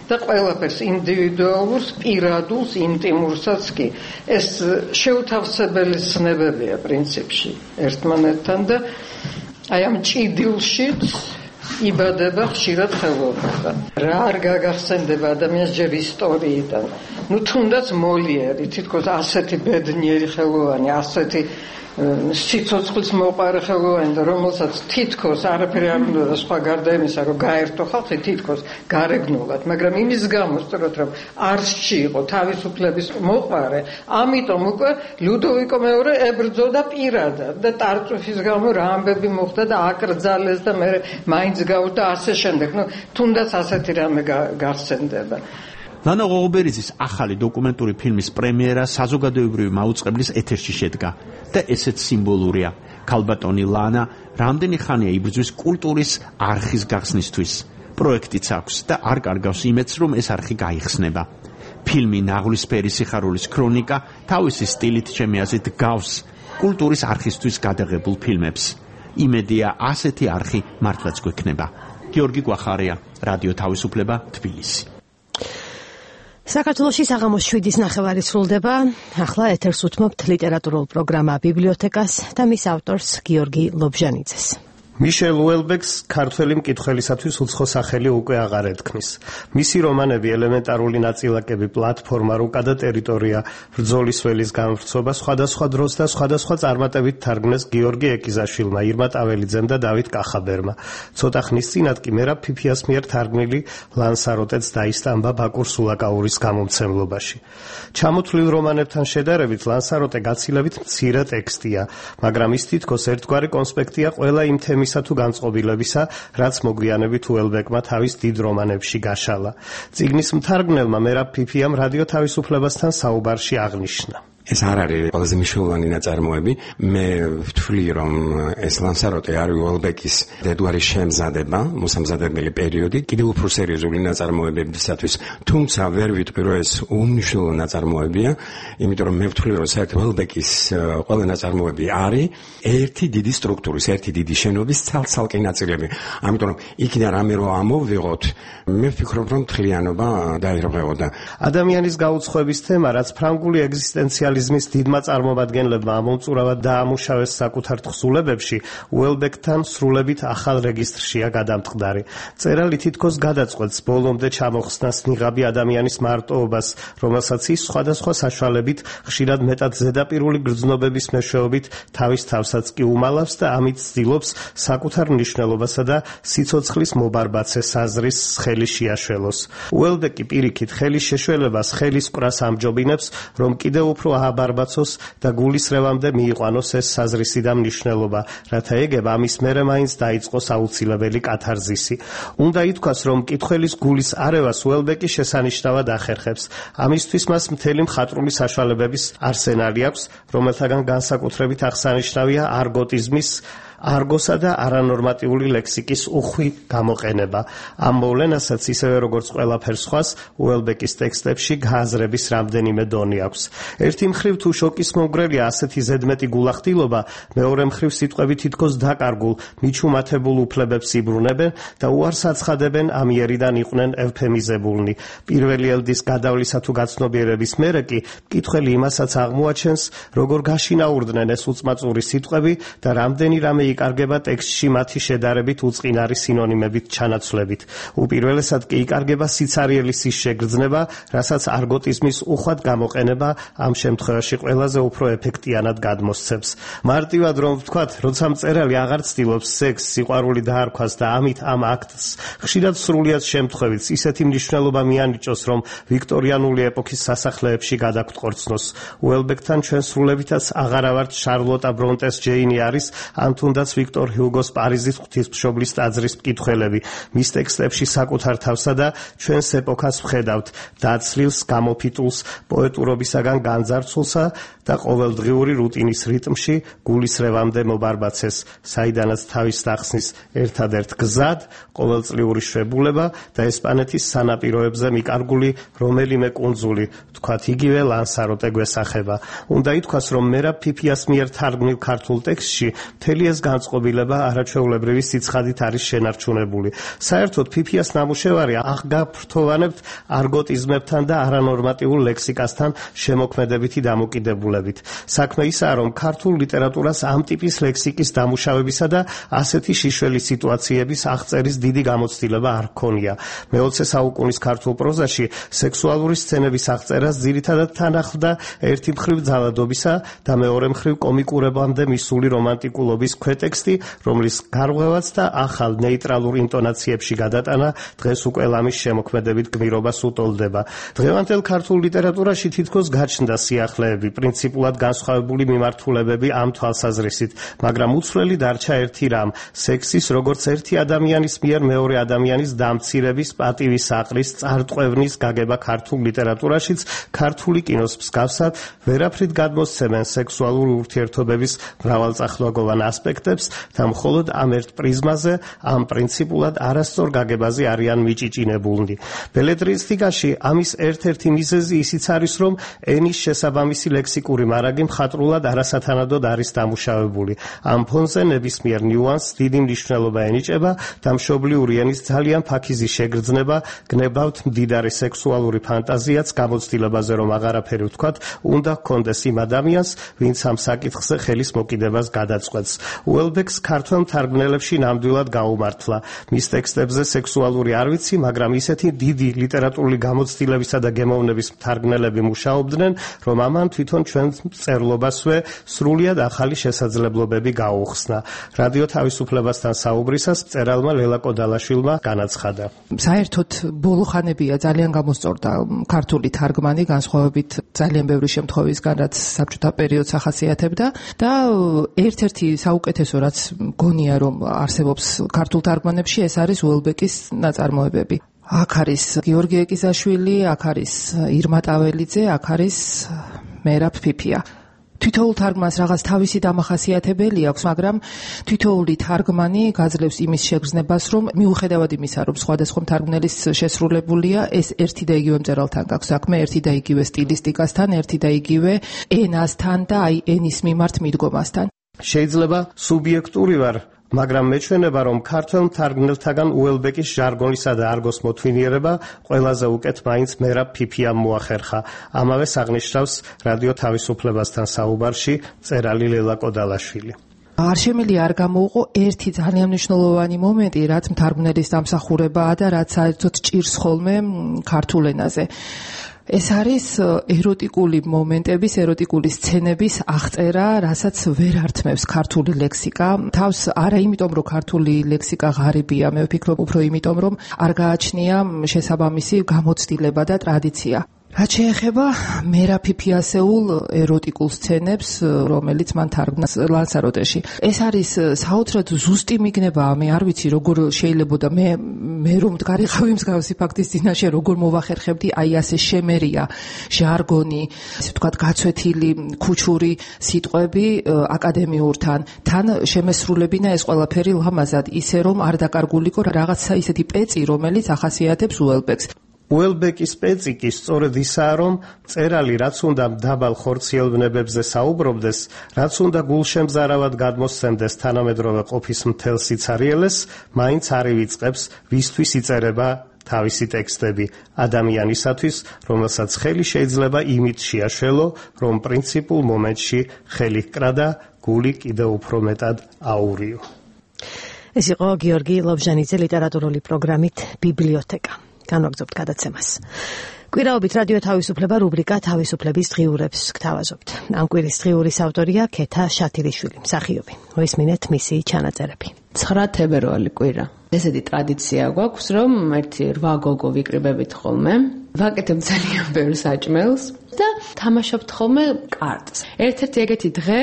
და ყველაფერს ინდივიდუალურს, პირადულს, ინტიმურსაც კი. ეს შეუთავსებელი ცნებებია პრინციპში ერთმანეთთან და აი ამ ჭიდილშიც იბადება ხშირად ხელოვნება. რა არ გაგახსენდება ადამიანს ჯერ ისტორიიდან. თუნდაც მოლიერი, თითქოს ასეთი ბედნიერი ხელოვანი, ასეთი სიცოცხლის მოყარე ხელოვანი და რომელსაც თითქოს არაფერი არ უნდა და სხვა გარდა იმისა, რომ გაერთო ხალხი თითქოს გარეგნულად, მაგრამ იმის გამო სწორად რომ არსში იყო თავისუფლების მოყარე, ამიტომ უკვე ლუდოვიკო მეორე ებრძოდა პირადად და ტარტუფის გამო რა ამბები მოხდა და აკრძალეს და მე მაინც გავდა ასე შემდეგ. თუნდაც ასეთი რამე გახსენდება. ლანა ღოღობერიძის ახალი დოკუმენტური ფილმის პრემიერა საზოგადოებრივი მაუწყებლის ეთერში შედგა და ესეც სიმბოლურია. ქალბატონი ლანა რამდენი ხანია იბრძვის კულტურის არხის გახსნისთვის. პროექტიც აქვს და არ კარგავს იმედს, რომ ეს არხი გაიხსნება. ფილმი ნაღლისფერი სიხარულის ქრონიკა თავისი სტილით ჩემი აზრით გავს კულტურის არხისთვის გადაღებულ ფილმებს. იმედია ასეთი არხი მართლაც გვექნება. გიორგი კვახარია, რადიო თავისუფლება, თბილისი. საქართველოში საღამოს 7-ის ნახევარი სრულდება. ახლა ეთერს უთმობთ ლიტერატურულ პროგრამა ბიბლიოთეკას და მის ავტორს გიორგი ლობჟანიძეს. მიშელ უელბეკს ქართველი მკითხველისათვის უცხო სახელი უკვე აღარ ეთქმის. მისი რომანები ელემენტარული ნაწილაკები, პლატფორმა, რუკა და ტერიტორია, ბრძოლის ველის გამვრცობა სხვადასხვა დროს და სხვადასხვა წარმატებით თარგმნეს გიორგი ეკიზაშვილმა, ირმა ტაველიძემ და დავით კახაბერმა. ცოტა ხნის წინათ კი მერაბ ფიფიას მიერ თარგმნილი ლანსაროტეც დაისტამბა ბაკურ სულაკაურის გამომცემლობაში. ჩამოთვლილ რომანებთან შედარებით ლანსაროტე გაცილებით მცირე ტექსტია, მაგრამ ის თითქოს ერთგვარი კონსპექტია ყველა იმ თემის თუ განწყობილებისა, რაც მოგვიანებით უელბეკმა თავის დიდ რომანებში გაშალა. წიგნის მთარგმნელმა მერაბ ფიფიამ რადიო თავისუფლებასთან საუბარში აღნიშნა. ეს არ არის ყველაზე მნიშვნელოვანი ნაწარმოები. მე ვთვლი, რომ ეს ლანსაროტე არის უელბეკის დედვარის შემზადება, მოსამზადებელი პერიოდი, კიდევ უფრო სერიოზული ნაწარმოებებისათვის. თუმცა ვერ ვიტყვი, რომ ეს უმნიშვნელო ნაწარმოებია, იმიტომ რომ მე ვთვლი, რომ საერთოდ უელბეკის ყველა ნაწარმოები არის ერთი დიდი სტრუქტურის, ერთი დიდი შენობის ცალ-ცალკე ნაწილები. ამიტომ რომ იქიდან რამე რო ამოვიღოთ, მე ვფიქრობ, რომ მთლიანობა დაირღვეოდა. ადამიანის გაუცხოების თემა, რაც ფრანგული ეგზისტენციალიზმის დიდმა წარმომადგენლებმა ამომწურავად დაამუშავეს საკუთარ თხზულებებში, უელბეკთან სრულებით ახალ რეგისტრშია გადამტყდარი. წერალი თითქოს გადაწყვეტს ბოლომდე ჩამოხსნას ნიღაბი ადამიანის მარტოობას, რომელსაც ის სხვადასხვა საშუალებით ხშირად მეტად ზედაპირული გრძნობების მეშვეობით თავის თავსაც კი უმალავს და ამით ცდილობს საკუთარ მნიშვნელობასა და სიცოცხლის მობარბაცე საზრის ხელი შეაშველოს. უელბეკი პირიქით ხელის შეშველებას ხელის კვრას ამჯობინებს, რომ კიდევ უფრო აბარბაცოს და გულისრევამდე მიიყვანოს ეს საზრისი და მნიშვნელობა, რათა ეგებ ამის მერე მაინც დაიწყოს აუცილებელი კათარზისი. უნდა ითქვას, რომ მკითხველის გულის არევას უელბეკი შესანიშნავად ახერხებს. ამისთვის მას მთელი მხატვრული საშუალებების არსენალი აქვს, რომელთაგან განსაკუთრებით აღსანიშნავია არგოტიზმის, არგოსა და არანორმატიული ლექსიკის უხვი გამოყენება. ამ მოვლენასაც ისევე როგორც ყველაფერ სხვას უელბეკის ტექსტებში გააზრების რამდენიმე დონი აქვს. ერთი მხრივ თუ შოკის მომგვრელია ასეთი ზედმეტი გულახდილობა, მეორე მხრივ სიტყვები თითქოს დაკარგულ, მიჩუმათებულ უფლებებს იბრუნებენ და უარს აცხადებენ ამიერიდან იყვნენ ევფემიზებულნი. პირველი ელდის გადავლისა თუ გაცნობიერების მერე კი მკითხველი იმასაც აღმოაჩენს, როგორ გაშინაურდნენ ეს უწმაწური სიტყვები და რამდენი რამე იკარგება ტექსტში მათი შედარებით უწყინარი სინონიმებით ჩანაცვლებით. უპირველესად კი იკარგება სიცარიელის ის შეგრძნება, რასაც არგოტიზმის უხვად გამოყენება ამ შემთხვევაში ყველაზე უფრო ეფექტიანად გადმოსცემს. მარტივად რომ ვთქვათ, როცა მწერალი აღარ ცდილობს სექსს, სიყვარული დაარქვას და ამით ამ აქტს ხშირად სრულიად შემთხვევით ისეთი მნიშვნელობა მიანიჭოს, რომ ვიქტორიანული ეპოქის სასახლეებში გადაგტყორცნოს. უელბეკთან ჩვენ სრულებითაც აღარავართ შარლოტა ბრონტეს ჯეინი არის, ან თუნდაც თუნდაც ვიქტორ ჰიუგოს პარიზის ღვთისმშობლის ტაძრის მკითხველები. მის ტექსტებში საკუთარ თავსა და ჩვენს ეპოქას ვხედავთ დაცლილს, გამოფიტულს, პოეტურობისაგან განძარცულსა და ყოველდღიური რუტინის რიტმში გულისრევამდე მობარბაცეს, საიდანაც თავის სახსნის ერთადერთ გზად, ყოველწლიური შვებულება და ესპანეთის სანაპიროებზე მიკარგული რომელიმე კუნძული, თქვათ იგივე ლანსაროტე გვესახება. უნდა ითქვას, რომ მერაბ ფიფიას მიერ თარგმნილ ქართულ ტექსტში მთელი ეს განწყობილება არაჩვეულებრივი სიცხადით არის შენარჩუნებული. საერთოდ ფიფიას ნამუშევარი აღგაფრთოვანებთ არგოტიზმებთან და არანორმატიულ ლექსიკასთან შემოქმედებითი დამოკიდებულებით. საქმე ისაა, რომ ქართულ ლიტერატურას ამ ტიპის ლექსიკის დამუშავებისა და ასეთი შიშველი სიტუაციების აღწერის დიდი გამოცდილება არ ჰქონია. მე-20 საუკუნის ქართულ პროზაში სექსუალური სცენების აღწერას ძირითადად თან ახლდა ერთი მხრივ ძალადობისა და მეორე მხრივ კომიკურებამდე მისული რომანტიკულობის ქვეტექსტი, რომლის გარღვევაც და ახალ ნეიტრალურ ინტონაციებში გადატანა დღეს უკვე ლამის შემოქმედებით გმირობას უტოლდება. დღევანდელ ქართულ ლიტერატურაში თითქოს გაჩნდა სიახლეები, პრინციპულად განსხვავებული მიმართულებები ამ თვალსაზრისით, მაგრამ უცვლელი დარჩა ერთი რამ: სექსის როგორც ერთი ადამიანის მიერ მეორე ადამიანის დამცირების, პატივისაყრის, წარტყვევნის გაგება ქართულ ლიტერატურაშიც ქართული კინოს მსგავსად ვერაფრით გადმოსცემენ სექსუალური ურთიერთობების მრავალწახნაგოვან ასპექტებს და მხოლოდ ამ ერთ პრიზმაზე, ამ პრინციპულად არასწორ გაგებაზე არიან მიჭიჭინებულნი. ბელეტრისტიკაში ამის ერთ-ერთი მიზეზი ისიც არის, რომ ენის შესაბამისი ლექსიკური მარაგი მხატვრულად არასათანადოდ არის დამუშავებული. ამ ფონზე ნებისმიერ ნიუანსს დიდი მნიშვნელობა ენიჭება და მშობლიური ენის ძალიან ფაქიზი შეგრძნება, გნებავთ მდიდარი სექსუალური ფანტაზიაც გამოცდილებაზე, რომ აღარაფერი ვთქვათ, უნდა ჰქონდეს იმ ადამიანს, ვინც ამ საკითხზე ხელის მოკიდებას გადაწყვეტს. უელბეკს ქართველ მთარგმნელებში ნამდვილად გაუმართლა. მის ტექსტებზე სექსუალური არ ვიცი, მაგრამ ისეთი დიდი ლიტერატურული გამოცდილებისა და გემოვნების მთარგმნელები მუშაობდნენ, რომ ამან თვითონ ჩვენ მწერლობასვე სრულიად ახალი შესაძლებლობები გაუხსნა. რადიო თავისუფლებასთან საუბრისას მწერალმა ლელა კოდალაშვილმა განაცხადა. საერთოდ ბოლო ხანებია ძალიან გამოსწორდა ქართული თარგმანი, განსხვავებით ძალიან ბევრი შემთხვევისგან, რაც საბჭოთა პერიოდს ახასიათებდა და ერთ-ერთი საუკეთესო, რაც მგონია, რომ არსებობს ქართულ თარგმანებში, ეს არის უელბეკის ნაწარმოებები. აქ არის გიორგი ეკიზაშვილი, აქ არის ირმა ტაველიძე, აქ არის მერაბ ფიფია. თითოეულ თარგმანს რაღაც თავისი დამახასიათებელი აქვს, მაგრამ თითოეული თარგმანი გაძლევს იმის შეგრძნებას, რომ მიუხედავად იმისა, რომ სხვადასხვა მთარგმნელის შესრულებულია, ეს ერთი და იგივე მწერალთან გაქვს საქმე, ერთი და იგივე სტილისტიკასთან, ერთი და იგივე ენასთან და აი ენის მიმართ მიდგომასთან. შეიძლება სუბიექტური ვარ, მაგრამ მეჩვენება, რომ ქართველ მთარგმნელთაგან უელბეკის ჟარგონისა და არგოს მოთვინიერება ყველაზე უკეთ მაინც მერაბ ფიფიამ მოახერხა. ამავეს აღნიშნავს რადიო თავისუფლებასთან საუბარში მწერალი ლელა კოდალაშვილი. არ შემიძლია არ გამოუყო ერთი ძალიან მნიშვნელოვანი მომენტი, რაც მთარგმნელის დამსახურებაა და რაც საერთოდ ჭირს ხოლმე ქართულ ენაზე. ეს არის ეროტიკული მომენტების, ეროტიკული სცენების აღწერა, რასაც ვერ ართმევს ქართული ლექსიკა. თავს არა იმიტომ, რომ ქართული ლექსიკა ღარიბია, მე ვფიქრობ უფრო იმიტომ, რომ არ გააჩნია შესაბამისი გამოცდილება და ტრადიცია. რაც შეეხება მერაბ ფიფიასეულ ეროტიკულ სცენებს, რომელიც მან თარგმნა ლანსაროტეში. ეს არის საოცრად ზუსტი მიგნება, მე არ ვიცი როგორ შეიძლება და მე რომ მდგარიყავი მსგავსი ფაქტის წინაშე, როგორ მოვახერხებდი აი ასე შემერია ჟარგონი, ესე ვთქვათ, გაცვეთილი ქუჩური სიტყვები აკადემიურთან, თან შემესრულებინა ეს ყველაფერი ლამაზად, ისე რომ არ დაკარგულიყო რაღაცა ისეთი პეწი, რომელიც ახასიათებს უელბეკს. უელბეკის პეწი კი სწორედ ისაა, რომ მწერალი რაც უნდა დაბალ ხორციელბნებებზე საუბრობდეს, რაც უნდა გულშემზარავად გადმოსცემდეს თანამედროვე ყოფის მთელ სიცარიელეს, მაინც არ ივიწყებს ვისთვის იწერება თავისი ტექსტები ადამიანისათვის, რომელსაც ხელი შეიძლება იმით შეაშველო, რომ პრინციპულ მომენტში ხელი ჰკრა და გული კიდევ უფრო მეტად აურიო. ეს იყო გიორგი ლობჟანიძე ლიტერატურული პროგრამით ბიბლიოთეკა. განვაგრძობთ გადაცემას. კვირაობით რადიო თავისუფლება რუბრიკა თავისუფლების დღიურებს გთავაზობთ. ამ კვირის დღიურის ავტორია ქეთა შათირიშვილი, მსახიობი. მოისმინეთ მისი ჩანაწერები. 9 თებერვალი კვირა. ესეთი ტრადიცია გვაქვს, რომ ერთი 8 გოგო ვიკრიბებით ხოლმე. ვაკეთებ ძალიან ბევრ საჭმელს და თამაშობ ხოლმე კარტს. ერთ-ერთი ეგეთი დღე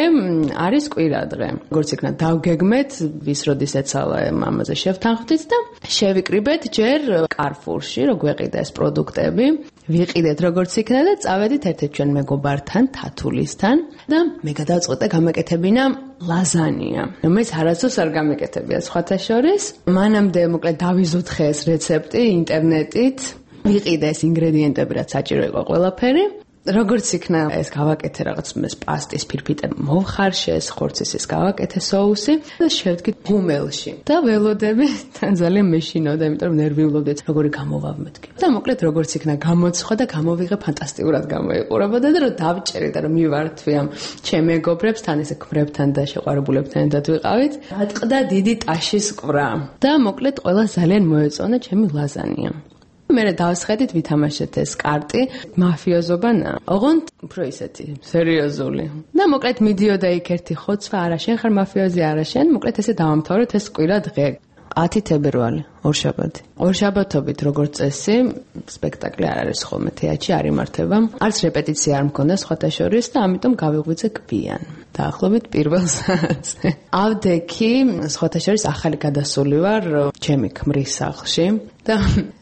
არის კვირა დღე. როგორც იქნა დავგეგმეთ, ვის როდის ეცალა მამაზე შევთანხმდით და შევიკრიბეთ ჯერ Carrefour-ში, რო გვეყიდა ეს პროდუქტები. ვიყიდეთ როგორც იქნა და წავედით ერთ-ერთ ჩვენ მეგობართან, თათულისთან და მე გადავწყვეტე გამეკეთებინა ლაზანია. რომელიც არასდროს არ გამეკეთებია სხვათა შორის. მანამდე მოკლედ დავიზუთხე ეს რეცეპტი ინტერნეტით. ვიყიდე ეს ინგრედიენტები, რაც საჭირო იყო ყველაფერი. როგორც იქნა ეს გავაკეთე რაღაც ეს პასტის ფირფიტე მოვხარშე, ეს ხორცის გავაკეთე соуსი და შევდგე ღუმელში. და ველოდები თან ძალიან მეშინოდა, იმიტომ რომ ნერვიულობდი, როგორი გამოვავ მეთქი. და მოკლედ როგორც იქნა გამოცხვა და გამოვიღე ფანტასტიკურად გამოიყურებოდა და რომ დავჭერი და რომ მივართვი ამ ჩემ მეგობრებს, თან ესე ქმრებთან და შეყვარებულებთან ერთად ვიყავით. დატყდა დიდი ტაშის ყვრა და მოკლედ ყველა ძალიან მოეწონა ჩემი ლაზანია. მერე დავსხედით ვითამაშეთ ეს კარტი მაფიოზობანა ოღონდ უფრო ისეთი სერიოზული და მოკლედ მიდიოდა იქ ერთი ხოცვა არა შენ ხარ მაფიოზი არა შენ მოკლედ ესე დავამთავრეთ ეს კვირა დღე 10 თებერვალი ორშაბათი ორშაბათობით როგორც წესი სპექტაკლი არ არის ხოლმე თეატრში არ იმართება არც რეპეტიცია არ მქონდა სხვათა შორის და ამიტომ გავიღვიძე გვიან დაახლოებით პირველ საათზე ავდექი სხვათა შორის ახალი გადასული ვარ ჩემი ქმრის სახლში და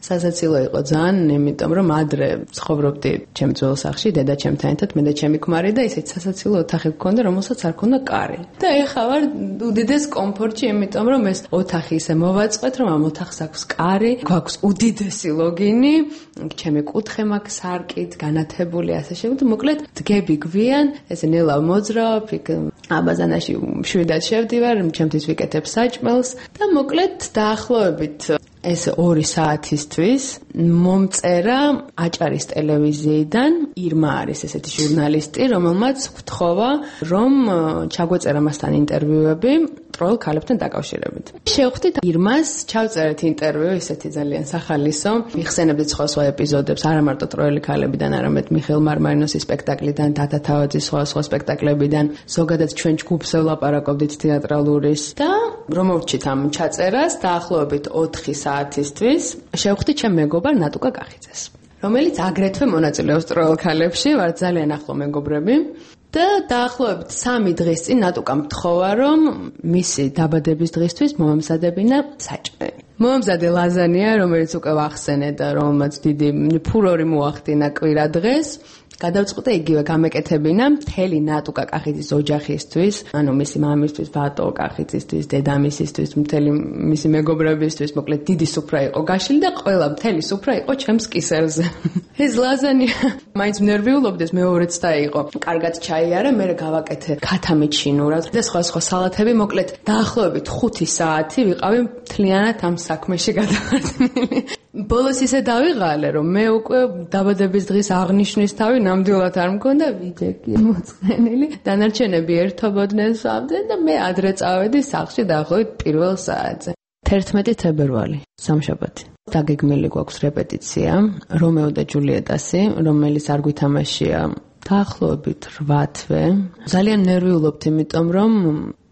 სასაცილო იყო ძალიან, იმიტომ რომ ადრე ცხოვრობდი ჩემ ძველ სახლში, დედა ჩემთან ერთად, მე და ჩემი ქმარი და ისეთ სასაცილო ოთახი გქონდა, რომელსაც არ ქონდა კარი. და ეხლა ვარ უდიდეს კომფორტში, იმიტომ რომ ეს ოთახი ისე მოვაწყვეთ, რომ ამ ოთახს აქვს კარი, გვაქვს უდიდესი ლოგინი, ჩემი კუთხე მაქვს სარკით, განათებული ასე შემდეგ. მოკლედ დგები გვიან, ესე ნელა მოძრავ, იქ აბაზანაში შვიდად შევდივარ, ჩემთვის ვიკეთებ საჭმელს და მოკლედ დაახლოებით ეს 2 საათისთვის მომწერა აჭარის ტელევიზიიდან ირმა არის ესეთი ჟურნალისტი, რომელმაც ვთხოვა, რომ ჩაგვეწერა მასთან ინტერვიუები ტროელ ქალებთან დაკავშირებით. შევხვდით ირმას, ჩავწერეთ ინტერვიუ, ისეთი ძალიან სახალისო. ვიხსენებდით სხვა ეპიზოდებს, არა მარტო ტროელი ქალებიდან, არამედ მიხეილ მარმარინოსის სპექტაკლიდან, დატა თავაძის სხვა სპექტაკლებიდან, ზოგადად ჩვენ ჯგუფზე ვლაპარაკობდით თეატრალურის და რომ მოვჭით ამ ჩაწერას, დაახლოებით 4 საათისთვის შევხვდით ჩემ მეგობარ ნატუკა კახიძეს, რომელიც აგრეთვე მონაწილეობს ტროელ ქალებში, ვარ ძალიან ახლო მეგობრები. და დაახლოებით 3 დღის წინ ნატუკამ მთხოვა, რომ მისი დაბადების დღისთვის მომამზადებინა საჭმელი. მომამზადე ლაზანია, რომელიც უკვე ვახსენე და რომელმაც დიდი ფურორი მოახდინა კვირა დღეს. გადავწყვეტე იგივე გამეკეთებინა მთელი ნატუკა კახიძის ოჯახისთვის, ანუ მისი მამისთვის, ბატო კახიძისთვის, დედამისისთვის, მთელი მისი მეგობრებისთვის, მოკლედ დიდი სუფრა იყო გაშლილი და ყველა მთელი სუფრა იყო ჩემს კისერზე. ეს ლაზანია მაინც ნერვიულობდეს, მეორეც დაიყო. კარგად ჩაიარა, მე გავაკეთე ქათამით შინურად და სხვა სალათები, მოკლედ დაახლოებით 5 საათი ვიყავი მთლიანად ამ საქმეში გადავარდნილი. ბოლოს ისე დავიღალე, რომ მე უკვე დაბადების დღის აღნიშვნის თავი ნამდვილად არ მქონდა, ვიჯექი მოწყენილი. დანარჩენები ერთობოდნენ სვავდნენ და მე ადრე წავედი სახლში დაახლოებით პირველ საათზე. 11 თებერვალი, სამშაბათი. დაგეგმილი გვაქვს რეპეტიცია, რომეო და ჯულიეტასი, რომელიც არ გვითამაშია დაახლოებით 8 თვე. ძალიან ნერვიულობთ, იმიტომ რომ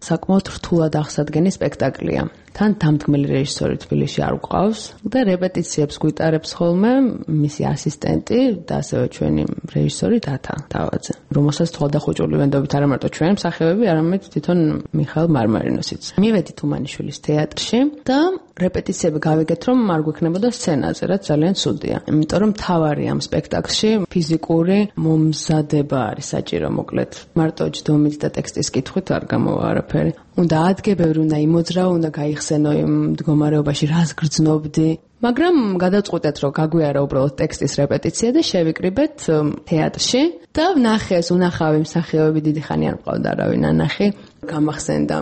საკმაოდ რთულად აღსადგენი სპექტაკლია. თან დამდგმელი რეჟისორი თბილისში არ გვყავს და რეპეტიციებს გვიტარებს ხოლმე მისი ასისტენტი და ასევე ჩვენი რეჟისორი დატა თავაძე, რომელსაც თვალდახუჭული ვენდობით არა მარტო ჩვენ მსახიობები, არამედ თვითონ მიხეილ მარმარინოსიც. მივედით უმანიშვილის თეატრში და რეპეტიციები გავიგეთ, რომ არ გვექნებოდა სცენაზე, რაც ძალიან ცუდია. იმიტომ რომ თავარი ამ სპექტაკლში ფიზიკური მომზადება არის საჭირო, მოკლედ. მარტო ჯდომით და ტექსტის კითხვით არ გამოვა არაფერი. უნდა ადგებები, უნდა იმოძრავო, უნდა გაიხსენო იმ მდგომარეობაში, რას გრძნობდი. მაგრამ გადავწყვეტეთ, რომ გაგვიარა უბრალოდ ტექსტის რეპეტიცია და შევიკრიბეთ თეატრში და ვნახე ეს უნახავი მსახიობები, დიდი ხანი არ მყავდა არავინ ანახი. გამახსენდა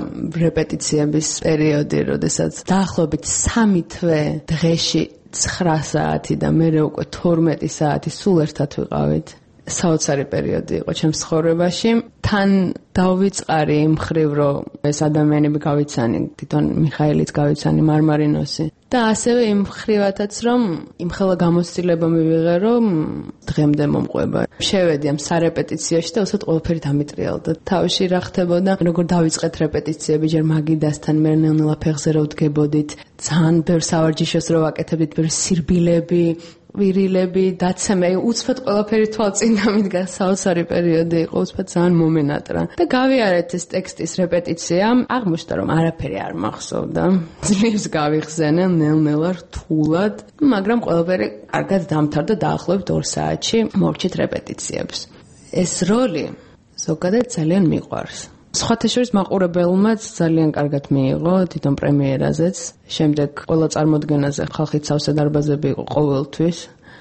რეპეტიციების პერიოდი, როდესაც დაახლოებით 3 თვე დღეში 9 საათი და მე უკვე 12 საათი სულ ერთად ვიყავით. საოცარი პერიოდი იყო ჩემს ცხოვრებაში. თან დავიწყარი იმ მხრივ, რომ ეს ადამიანები გავიცანი, თვითონ მიხაილიც გავიცანი, მარმარინოსი. და ასევე იმ მხრივათაც, რომ იმხელა გამოცდილება მივიღე, რომ დღემდე მომყვება. შევედი ამ სარეპეტიციაში და უცებ ყველაფერი დამიტრიალდა. თავში რა ხდებოდა, როგორ დავიწყეთ რეპეტიციები, ჯერ მაგიდასთან, მე ნელა ფეხზე რო ვდგებოდით, ძალიან ბევრ სავარჯიშოს რო ვაკეთებდით, ბევრ სირბილები, ვირილები, დაცემა, უცბად ყველაფერი თვალწინ დამიდგა, საოცარი პერიოდი იყო, უცბად ძალიან მომენატრა. და გავიარეთ ეს ტექსტის რეპეტიცია, აღმოჩნდა რომ არაფერი არ მახსოვდა. ძლივს გავიხსენე ნელ-ნელა რთულად, მაგრამ ყველაფერი კარგად დამთავრდა დაახლოებით 2 საათში მოვჭით რეპეტიციებს. ეს როლი ზოგადად ძალიან მიყვარს. სხვათა შორის მაყურებელმაც ძალიან კარგად მიიღო თვითონ პრემიერაზეც. შემდეგ ყველა წარმოდგენაზე ხალხით სავსე დარბაზები იყო ყოველთვის.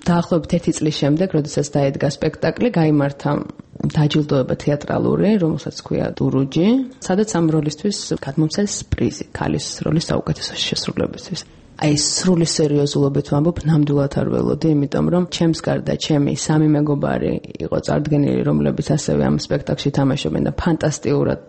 დაახლოებით 1 წლის შემდეგ, როდესაც დაედგა სპექტაკლი, გაიმართა დაჯილდოება თეატრალური, რომელსაც ქვია დურუჯი, სადაც ამ როლისთვის გადმომცეს პრიზი, ქალის როლის საუკეთესო შესრულებისთვის. აი სრული სერიოზულობით ვამბობ, ნამდვილად არ ველოდი, იმიტომ რომ ჩემს გარდა ჩემი 3 მეგობარი იყო წარდგენილი, რომლებიც ასევე ამ სპექტაკლში თამაშობენ და ფანტასტიკურად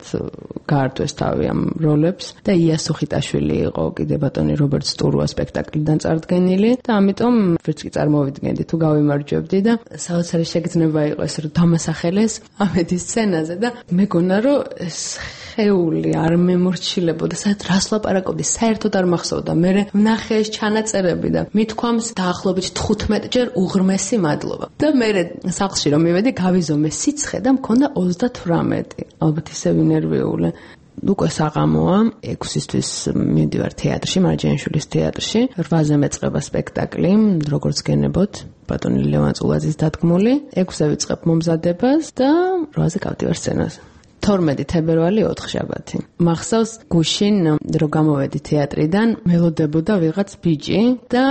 გაართვეს თავი ამ როლებს და ია სუხიტაშვილი იყო კიდე ბატონი რობერტ სტურუა სპექტაკლიდან წარდგენილი და ამიტომ ვერც კი წარმოვიდგენდი თუ გავიმარჯვებდი და საოცარი შეგრძნება იყო ეს რომ დამასახელეს ამედის სცენაზე და მეგონა რომ ეს ხეული არ მემორჩილებოდა, სადაც რას ლაპარაკობდი, საერთოდ არ მახსოვდა. მე ვნახე ეს ჩანაწერები და მithქვამს დაახლოებით 15 ჯერ უღრმესი მადლობა. და მე სახლში რომ მივედი, გავიზომე სიცხე და მქონდა 38. ალბათ ისე ვინერვიული. უკვე საღამოა, 6-ისთვის მივდივარ თეატრში, მარჯანიშვილის თეატრში. 8-ზე მეწყება სპექტაკლი, როგორც გენებოთ, ბატონი ლევან წულაძის დადგმული. 6-ზე ვიწყებ მომზადებას და 8-ზე გავდივარ სცენაზე. 12 თებერვალი 4 შაბათი. მახსოვს გუშინ რომ გამოვედი თეატრიდან, მელოდებოდა ვიღაც ბიჭი და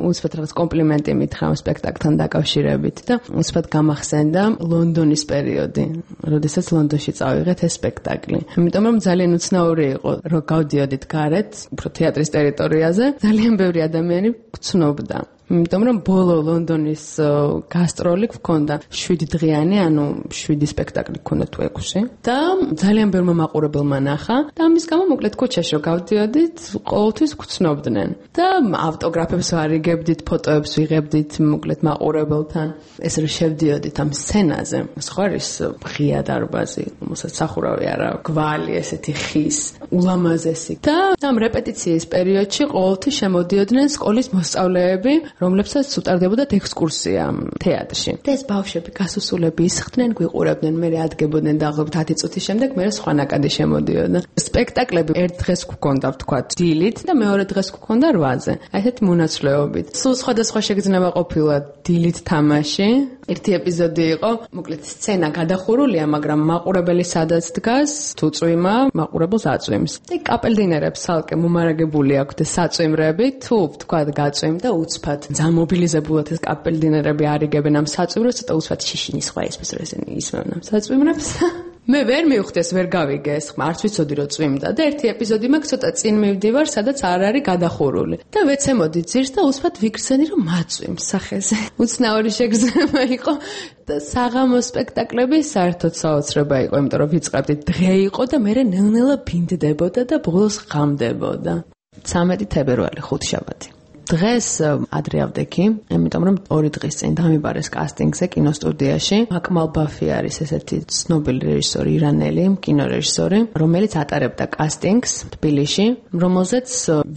უცბად რაღაც კომპლიმენტი მითხრა სპექტაკლთან დაკავშირებით და უცბად გამახსენდა ლონდონის პერიოდი, როდესაც ლონდონში წავიღეთ ეს სპექტაკლი. იმიტომ რომ ძალიან უცნაური იყო, რომ გავდიოდით გარეთ, უფრო თეატრის ტერიტორიაზე, ძალიან ბევრი ადამიანი გცნობდა. იმიტომ რომ ბოლო ლონდონის გასტროლი გქონდა 7 დღიანი, ანუ 7 სპექტაკლი გქონდა თუ 6 და ძალიან ბევრმა მაყურებელმა ნახა და ამის გამო მოკლედ ქუჩაში რომ გავდიოდით, ყოველთვის გცნობდნენ და ავტოგრაფებს ვარიგებდით, ფოტოებს ვიღებდით მოკლედ მაყურებელთან. ეს რომ შევდიოდით ამ სცენაზე, სხვა ის ღია დარბაზი, რომელსაც სახურავი არა, გვალი ესეთი ხის, ულამაზესი და ამ რეპეტიციის პერიოდში ყოველთვის შემოდიოდნენ სკოლის მოსწავლეები, რომლებსაც უტარდებოდათ ექსკურსია თეატრში. და ეს ბავშვები გასუსულები ისხდნენ, გვიყურებდნენ, მე ადგებოდნენ დაახლოებით 10 წუთის შემდეგ, მე სხვა ნაკადი შემოდიოდა. სპექტაკლები ერთ დღეს გვქონდა, ვთქვათ, დილით და მეორე დღეს გვქონდა 8-ზე. აი ესეთი მონაცვლეობით. სულ სხვადასხვა შეგრძნება ყოფილა დილით თამაში. ერთი ეპიზოდი იყო, მოკლედ სცენა გადახურულია, მაგრამ მაყურებელი სადაც დგას, თუ წვიმა, მაყურებელს აწვიმს. და კაპელდინერებს ცალკე მომარაგებული აქვთ საწვიმრები, თუ ვთქვათ, გაწვიმ და უცბად ძალიან მობილიზებულად ეს კაპელდინერები არიგებენ ამ საწვიმრებს, ცოტა უცბად შიშინის სხვა ისმის რომ ესენი ისმევენ ამ საწვიმრებს. მე ვერ მივხვდი ეს, ვერ გავიგე ეს, არც ვიცოდი რომ წვიმდა და ერთი ეპიზოდი მაქვს, ცოტა წინ მივდივარ, სადაც არ არის გადახურული. და ვეცემოდი ძირს და უცბად ვიგრძენი რომ მაწვიმს სახეზე. უცნაური შეგრძნება იყო და საღამო სპექტაკლები საერთოდ საოცრება იყო, იმიტომ რომ ვიწყებდით დღე იყო და მე ნელ-ნელა ბინდდებოდა და ბოლოს ღამდებოდა. 13 თებერვალი 5 შაბათი. დღეს ადრე ავდექი, იმიტომ რომ 2 დღის წინ დამიბარეს კასტინგზე კინოსტუდიაში. აკმალ ბაფი არის ესეთი ცნობილი რეჟისორი, ირანელი კინორეჟისორი, რომელიც ატარებდა კასტინგს თბილისში, რომელზეც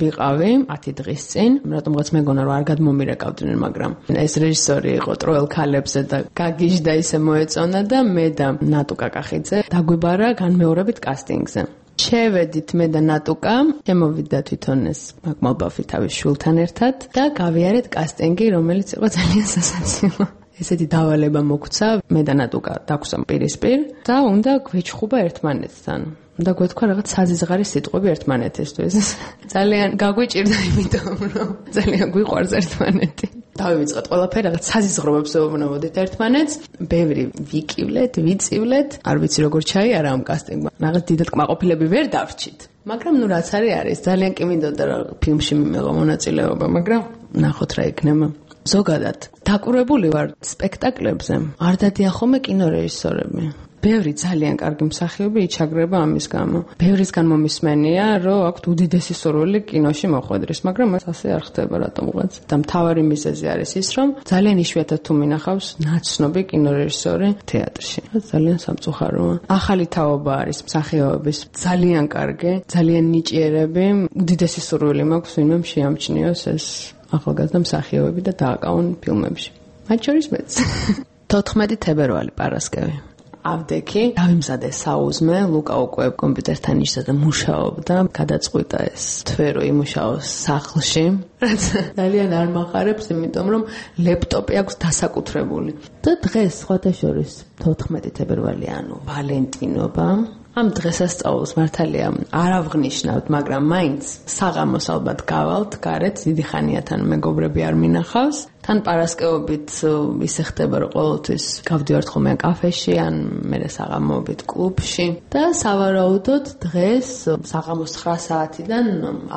ვიყავი 10 დღის წინ. რატომღაც მეგონა რომ არ გადმომირეკავდნენ, მაგრამ ეს რეჟისორი იყო ტროელ ქალებზე და გაგიჟდა ისე მოეწონა და მე და ნატუ კაკახიძე დაგვიბარა განმეორებით კასტინგზე. შევედით მე და ნატუკა, შემოვიდა თვითონ ეს აკმალ ბაფი თავის შვილთან ერთად და გავიარეთ კასტინგი, რომელიც იყო ძალიან სასაცილო. ესეთი დავალება მოგვცა, მე და ნატუკა დაგვსამ პირისპირ და უნდა გვეჩხუბა ერთმანეთთან. და გვეთქვა რაღაც საზიზღარი სიტყვები ერთმანეთისთვის. ძალიან გაგვიჭირდა, იმიტომ რომ ძალიან გვიყვარს ერთმანეთი. დავივიწყეთ ყველაფერი, რაღაც საზიზღრობებს ვეუბნებოდით ერთმანეთს, ბევრი ვიკივლეთ, ვიწივლეთ, არ ვიცი როგორ ჩაიარა ამ კასტინგმა. რაღაც დიდად კმაყოფილები ვერ დავრჩით. მაგრამ ნუ რაც არის, ძალიან კი მინდოდა რომ ფილმში მიმეღო მონაწილეობა, მაგრამ ნახოთ რა იქნება. ზოგადად, დაკვირვებული ვარ სპექტაკლებზე. არ დადიახომე კინორეჟისორები. ბევრი ძალიან კარგი მსახიობი იჩაგრება ამის გამო. ბევრისგან მომისმენია, რომ აქვთ უდიდესი სურვილი კინოში მოხვედრის, მაგრამ ეს ასე არ ხდება რატომღაც. და მთავარი მიზეზი არის ის, რომ ძალიან იშვიათად თუ მინახავს ნაცნობი კინორეჟისორი თეატრში. ძალიან სამწუხაროა. ახალი თაობა არის მსახიობების, ძალიან კარგი, ძალიან ნიჭიერები, უდიდესი სურვილი მაქვს ვინმე შეამჩნიოს ეს ახალგაზრდა მსახიობები და დააკავონ ფილმებში. მათ შორის მეც. 14 თებერვალი პარასკევი. ავდექი დავიმზადე საუზმე, ლუკა უკვე კომპიუტერთან იშდა და მუშაობდა, გადაწყვიტა ეს თვე რომ იმუშაოს სახლში, რაც ძალიან არ მახარებს, იმიტომ რომ ლეპტოპი აქვს დასაკუთრებული. და დღეს სხვათა შორის 14 თებერვალი, ანუ ვალენტინობა. ამ დღესასწაულს მართალია არ ავღნიშნავთ, მაგრამ მაინც საღამოს ალბათ გავალთ გარეთ, დიდი ხანიათან მეგობრები არ მინახავს. თან პარასკევობით ისე ხდება, რომ ყოველთვის გავდივართ ხოლმე კაფეში, ან მერე საღამოობით კლუბში და სავარაუდოდ დღეს საღამოს 9 საათიდან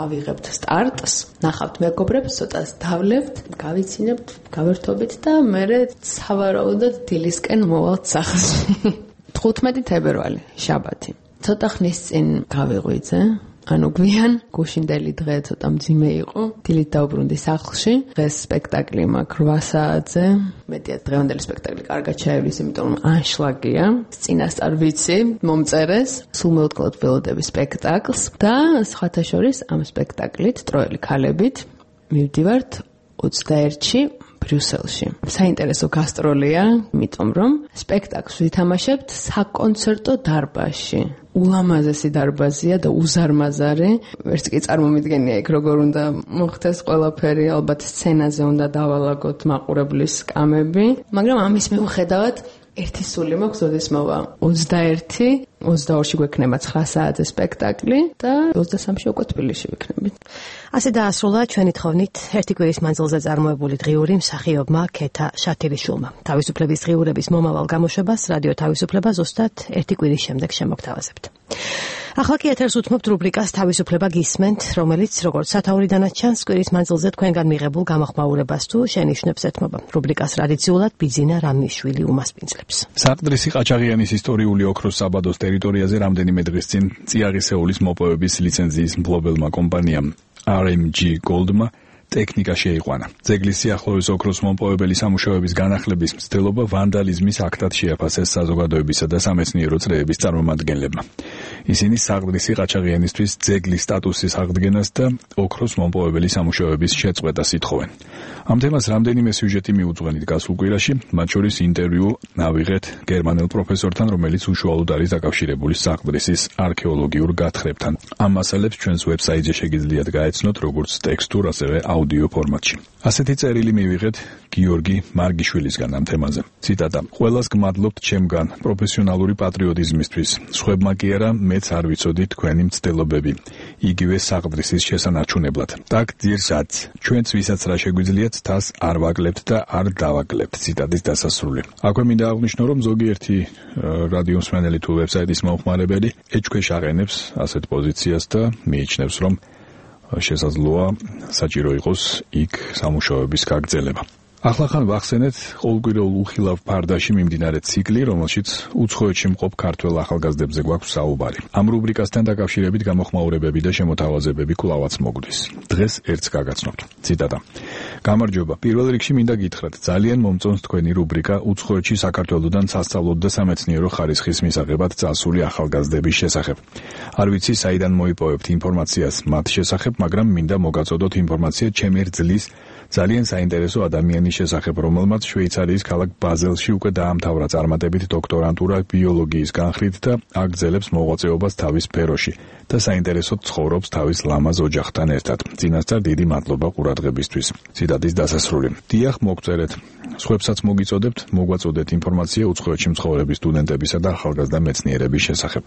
ავიღებთ სტარტს, ნახავთ მეგობრებს, ცოტას დავლევთ, გავიცინებთ, გავერთობით და მერე სავარაუდოდ დილისკენ მოვალთ სახლში. 15 თებერვალი, შაბათი. ცოტა ხნის წინ გავიღვიძე, ანუ გვიან, გუშინდელი დღე ცოტა მძიმე იყო. დილით დავბრუნდი სახლში. დღეს სპექტაკლი მაქვს 8 საათზე. მეტია დღევანდელი სპექტაკლი კარგად ჩაივლის, იმიტომ რომ ანშლაგია. წინასწარ ვიცი, მომწერეს. სულ მეოთხედ ველოდები სპექტაკლს და სხვათა შორის ამ სპექტაკლით ტროელი ქალებით მივდივართ 21-ში ბრიუსელში. საინტერესო გასტროლია, იმიტომ რომ სპექტაკლს ვითამაშებთ საკონცერტო დარბაზში. ულამაზესი დარბაზია და უზარმაზარი. ვერც კი წარმომიდგენია იქ როგორ უნდა მოხდეს ყველაფერი, ალბათ სცენაზე უნდა დავალაგოთ მაყურებლის კამები, მაგრამ ამის მიუხედავად ერთი სული მაქვს, როდის მოვა 21, 22-ში გვექნება 9 საათზე სპექტაკლი და 23-ში უკვე თბილისში ვიქნებით. ასე დაასრულა ჩვენი თხოვნით ერთი კვირის მანძილზე წარმოებული დღიური მსახიობმა ქეთა შათილიშვილმა. თავისუფლების დღიურების მომავალ გამოშვებას რადიო თავისუფლება ზუსტად ერთი კვირის შემდეგ შემოგთავაზებთ. ახლა კი ეთერს უთმობთ რუბრიკას თავისუფლება გისმენთ, რომელიც როგორც სათაურიდანაც ჩანს, კვირის მანძილზე თქვენგან მიღებულ გამოხმაურებას თუ შენიშვნებს ეთმობა. რუბრიკას ტრადიციულად ბიძინა რამიშვილი უმასპინძლებს. საყდრისი ყაჩაღიანის ისტორიული ოქროს საბადოს ტერიტორიაზე რამდენიმე დღის წინ წიაღისეულის მოპოვების ლიცენზიის მფლობელმა კომპანიამ RMG Goldma ტექნიკა შეიყვანა. ძეგლის სიახლოვეს ოქროს მომპოვებელი სამუშაოების განახლების მცდელობა ვანდალიზმის აქტად შეაფასეს საზოგადოებისა და სამეცნიერო წრეების წარმომადგენლებმა. ისინი საყდრისი ყაჩაღიანისთვის ძეგლის სტატუსის აღდგენას და ოქროს მომპოვებელი სამუშაოების შეწყვეტას ითხოვენ. ამ თემას რამდენიმე სიუჟეტი მიუძღვენით გასულ კვირაში, მათ შორის ინტერვიუ ავიღეთ გერმანელ პროფესორთან, რომელიც უშუალოდ არის დაკავშირებული საყდრისის არქეოლოგიურ გათხრებთან. ამ მასალებს ჩვენს ვებსაიტზე შეგიძლიათ გაეცნოთ როგორც ტექსტურ, ასევე აუდიო ფორმატში. ასეთი წერილი მივიღეთ გიორგი მარგიშვილისგან ამ თემაზე. ციტატა: ყველას გმადლობთ ჩემგან პროფესიონალური პატრიოტიზმისთვის. სხვებმა კი არა, მეც არ ვიცოდი თქვენი მცდელობები. იგივე საყდრისის შესანარჩუნებლად. Так ძირსაც, ჩვენც ვისაც რა შეგვიძლიათ, თას არ ვაკლებთ და არ დავაკლებთ. ციტატის დასასრული. აქვე მინდა აღვნიშნო, რომ ზოგიერთი რადიო მსმენელი თუ ვებსაიტის მომხმარებელი ეჭქვეშ აყენებს ასეთ პოზიციას და მიიჩნევს, რომ შესაძლოა საჭირო იყოს იქ სამუშაოების გაგრძელება. Ახლახან ვახსენეთ ყოველკვირეულ უხილავ ფარდაში მიმდინარე ციკლი, რომელშიც უცხოეთში მყოფ ქართველ ახალგაზრდებზე გვაქვს საუბარი. ამ რუბრიკასთან დაკავშირებით გამოხმაურებები და შემოთავაზებები კვლავაც მოგვდის. დღეს ერთს გაგაცნობთ. ციტატა: გამარჯობა, პირველ რიგში მინდა გითხრათ, ძალიან მომწონს თქვენი რუბრიკა უცხოეთში საქართველოსთან სასწავლო და სამეცნიერო ხარისხის მისაღებად წასული ახალგაზრდების შესახებ. არ ვიცი საიდან მოიპოვებთ ინფორმაციას მათ შესახებ, მაგრამ მინდა მოგაწოდოთ ინფორმაცია ჩემი რძლის ძალიან საინტერესო ადამიანის შესახებ, რომელმაც შვეიცარიის ქალაქ ბაზელში უკვე დაამთავრა წარმატებით დოქტორანტურა ბიოლოგიის განხრით და აგრძელებს მოღვაწეობას თავის სფეროში და საინტერესოდ ცხოვრობს თავის ლამაზ ოჯახთან ერთად. წინასწარ დიდი მადლობა ყურადღებისთვის. ციტატის დასასრული. დიახ, მოგწერეთ. სხვებსაც მოგიწოდებთ, მოგვაწოდეთ ინფორმაცია უცხოეთში მცხოვრები სტუდენტებისა და ახალგაზრდა მეცნიერების შესახებ.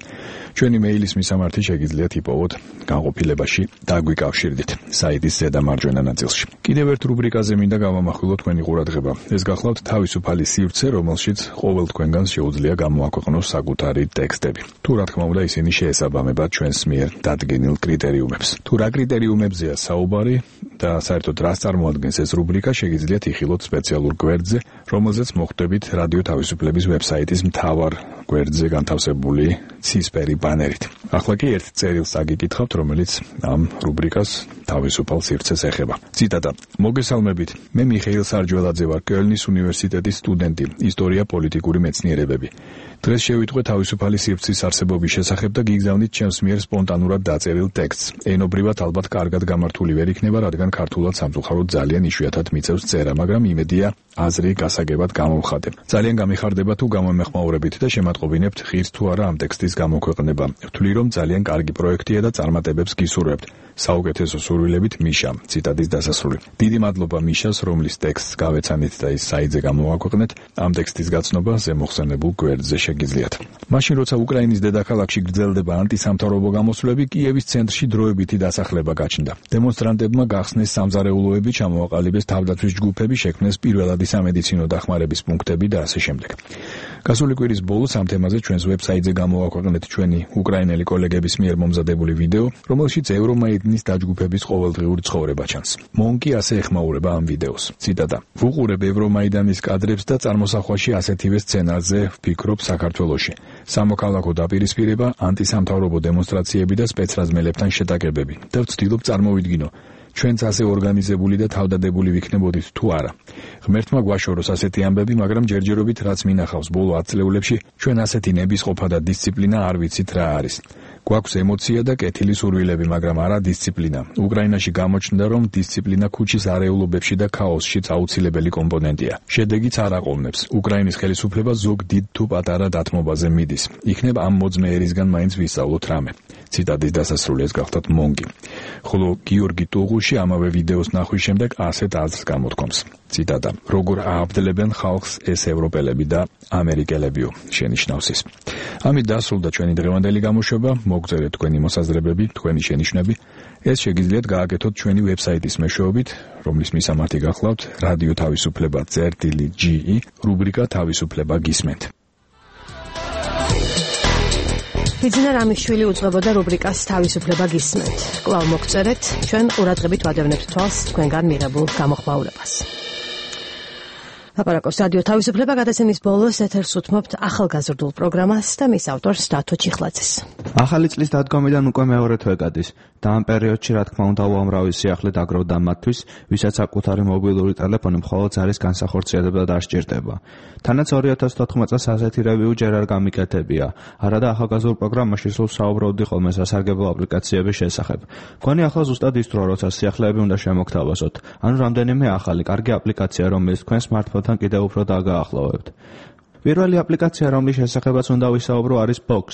ჩვენი მეილის მისამართი შეგიძლიათ იპოვოთ განყოფილებაში დაგვიკავშირდით საიტის ზედა მარჯვენა ნაწილში. კიდევ ერთ რუბრიკაზე მინდა გავამახვილო თქვენი ყურადღება. ეს გახლავთ თავისუფალი სივრცე, რომელშიც ყოველ თქვენგანს შეუძლია გამოაქვეყნოს საკუთარი ტექსტები. თუ რა თქმა უნდა ისინი შეესაბამება ჩვენს მიერ დადგენილ კრიტერიუმებს. თუ რა კრიტერიუმებზეა საუბარი და საერთოდ რას წარმოადგენს ეს რუბრიკა, შეგიძლიათ იხილოთ სპეციალურ გვერდზე, რომელზეც მოხვდებით რადიო თავისუფლების ვებსაიტის მთავარ გვერდზე განთავსებული ცისფერი ბანერით. ახლა კი ერთ წერილს აგიკითხავთ, რომელიც ამ რუბრიკას თავისუფალ სივრცეს ეხება. ციტატა: მოგესალმებით, მე მიხეილ სარჯველაძე ვარ, კელნის უნივერსიტეტის სტუდენტი, ისტორია პოლიტიკური მეცნიერებები. დღეს შევიტყვე თავისუფალი სივრცის არსებობის შესახებ და გიგზავნით ჩემს მიერ სპონტანურად დაწერილ ტექსტს. ენობრივად ალბათ კარგად გამართული ვერ იქნება, რადგან ქართულად სამწუხაროდ ძალიან იშვიათად მიწევს წერა, მაგრამ იმედია აზრი გასაგებად გამოვხადე. ძალიან გამიხარდება თუ გამომეხმაურებით და შემატყობინებთ ღირს თუ არა ამ ტექსტის გამოქვეყნება. ვთვლი რომ ძალიან კარგი პროექტია და წარმატებებს გისურვებთ. საუკეთესო სურვილებით მიშა. ციტატის დასასრული. დიდი მადლობა მიშას, რომლის ტექსტს გავეცანით და ის საიტზე გამოვაქვეყნეთ. ამ ტექსტის გაცნობა ზემოხსენებულ გვერდზე შეგიძლიათ. მაშინ როცა უკრაინის დედაქალაქში გრძელდება ანტისამთავრობო გამოსვლები, კიევის ცენტრში დროებითი დასახლება გაჩნდა. დემონსტრანტებმა გახსნეს სამზარეულოები, ჩამოაყალიბეს თავდაცვის ჯგუფები, შექმნეს პირველადი სამედიცინო დახმარების პუნქტები და ასე შემდეგ. გასული კვირის ბოლოს ამ თემაზე ჩვენს ვებსაიტზე გამოვაქვეყნეთ ჩვენი უკრაინელი კოლეგების მიერ მომზადებული ვიდეო, რომელშიც ევრომაიდნის დაჯგუფების ყოველდღიური ცხოვრება ჩანს. მონკი ასე ეხმაურება ამ ვიდეოს. ციტატა: ვუყურებ ევრომაიდანის კადრებს და წარმოსახვაში ასეთივე სცენარზე ვფიქრობ საქართველოში. სამოქალაქო დაპირისპირება, ანტისამთავრობო დემონსტრაციები და სპეცრაზმელებთან შეტაკებები და ვცდილობ წარმოვიდგინო, ჩვენც ასე ორგანიზებული და თავდადებული ვიქნებოდით თუ არა. ღმერთმა გვაშოროს ასეთი ამბები, მაგრამ ჯერჯერობით რაც მინახავს ბოლო 10 წლებში, ჩვენ ასეთი ნებისყოფა და დისციპლინა არ ვიცით რა არის. გვაქვს ემოცია და კეთილი სურვილები, მაგრამ არა დისციპლინა. უკრაინაში გამოჩნდა, რომ დისციპლინა ქუჩის არეულობებში და ქაოსშიც აუცილებელი კომპონენტია. შედეგიც არ აყოლნებს. უკრაინის ხელისუფლება ზოგ დიდ თუ პატარა დათმობაზე მიდის. იქნებ ამ მოძმეერისგან მაინც ვისწავლოთ რამე. ციტატის დასასრული ეს გახლავთ მონკი. ხოლო გიორგი ტუღუში ამავე ვიდეოს ნახვის შემდეგ ასეთ აზრს გამოთქვამს. ციტატა: როგორ ააბდლებენ ხალხს ეს ევროპელები და ამერიკელებიო, შენიშნავს ის. ამით დასრულდა ჩვენი დღევანდელი გამოშვება. მოგწერეთ თქვენი მოსაზრებები, თქვენი შენიშვნები. ეს შეგიძლიათ გააკეთოთ ჩვენი ვებსაიტის მეშვეობით, რომლის მისამართი გახლავთ რადიო თავისუფლება.ge, რუბრიკა თავისუფლება გისმენთ. ბიძინა რამიშვილი უძღვებოდა რუბრიკას თავისუფლება გისმენთ. კვლავ მოგწერეთ, ჩვენ ყურადღებით ვადევნებთ თვალს თქვენგან მიღებულ გამოხმაურებას. ლაპარაკობს რადიო თავისუფლება, გადაცემის ბოლოს ეთერს უთმობთ ახალგაზრდულ პროგრამას და მის ავტორს დათო ჩიხლაძეს. ახალი წლის დადგომიდან უკვე მეორე თვე გადის და ამ პერიოდში რა თქმა უნდა უამრავი სიახლე დაგროვდა მათთვის, ვისაც საკუთარი მობილური ტელეფონი მხოლოდ ზარის განსახორციელებლად არ სჭირდება. თანაც 2014 წელს ასეთი რევიუ ჯერ არ გამიკეთებია. არადა ახალგაზრდულ პროგრამაში სულ საუბრობდი ხოლმე სასარგებლო აპლიკაციების შესახებ. მგონი ახლა ზუსტად ის დრო, როცა სიახლეები უნდა შემოგთავაზოთ. ანუ რამდენიმე ახალი კარგი აპლიკაცია, რომელიც თქვენ smartphone-თან კიდევ უფრო დაგაახლოვებთ. პირველი აპლიკაცია, რომლის შესახებაც უნდა ვისაუბრო, არის Box.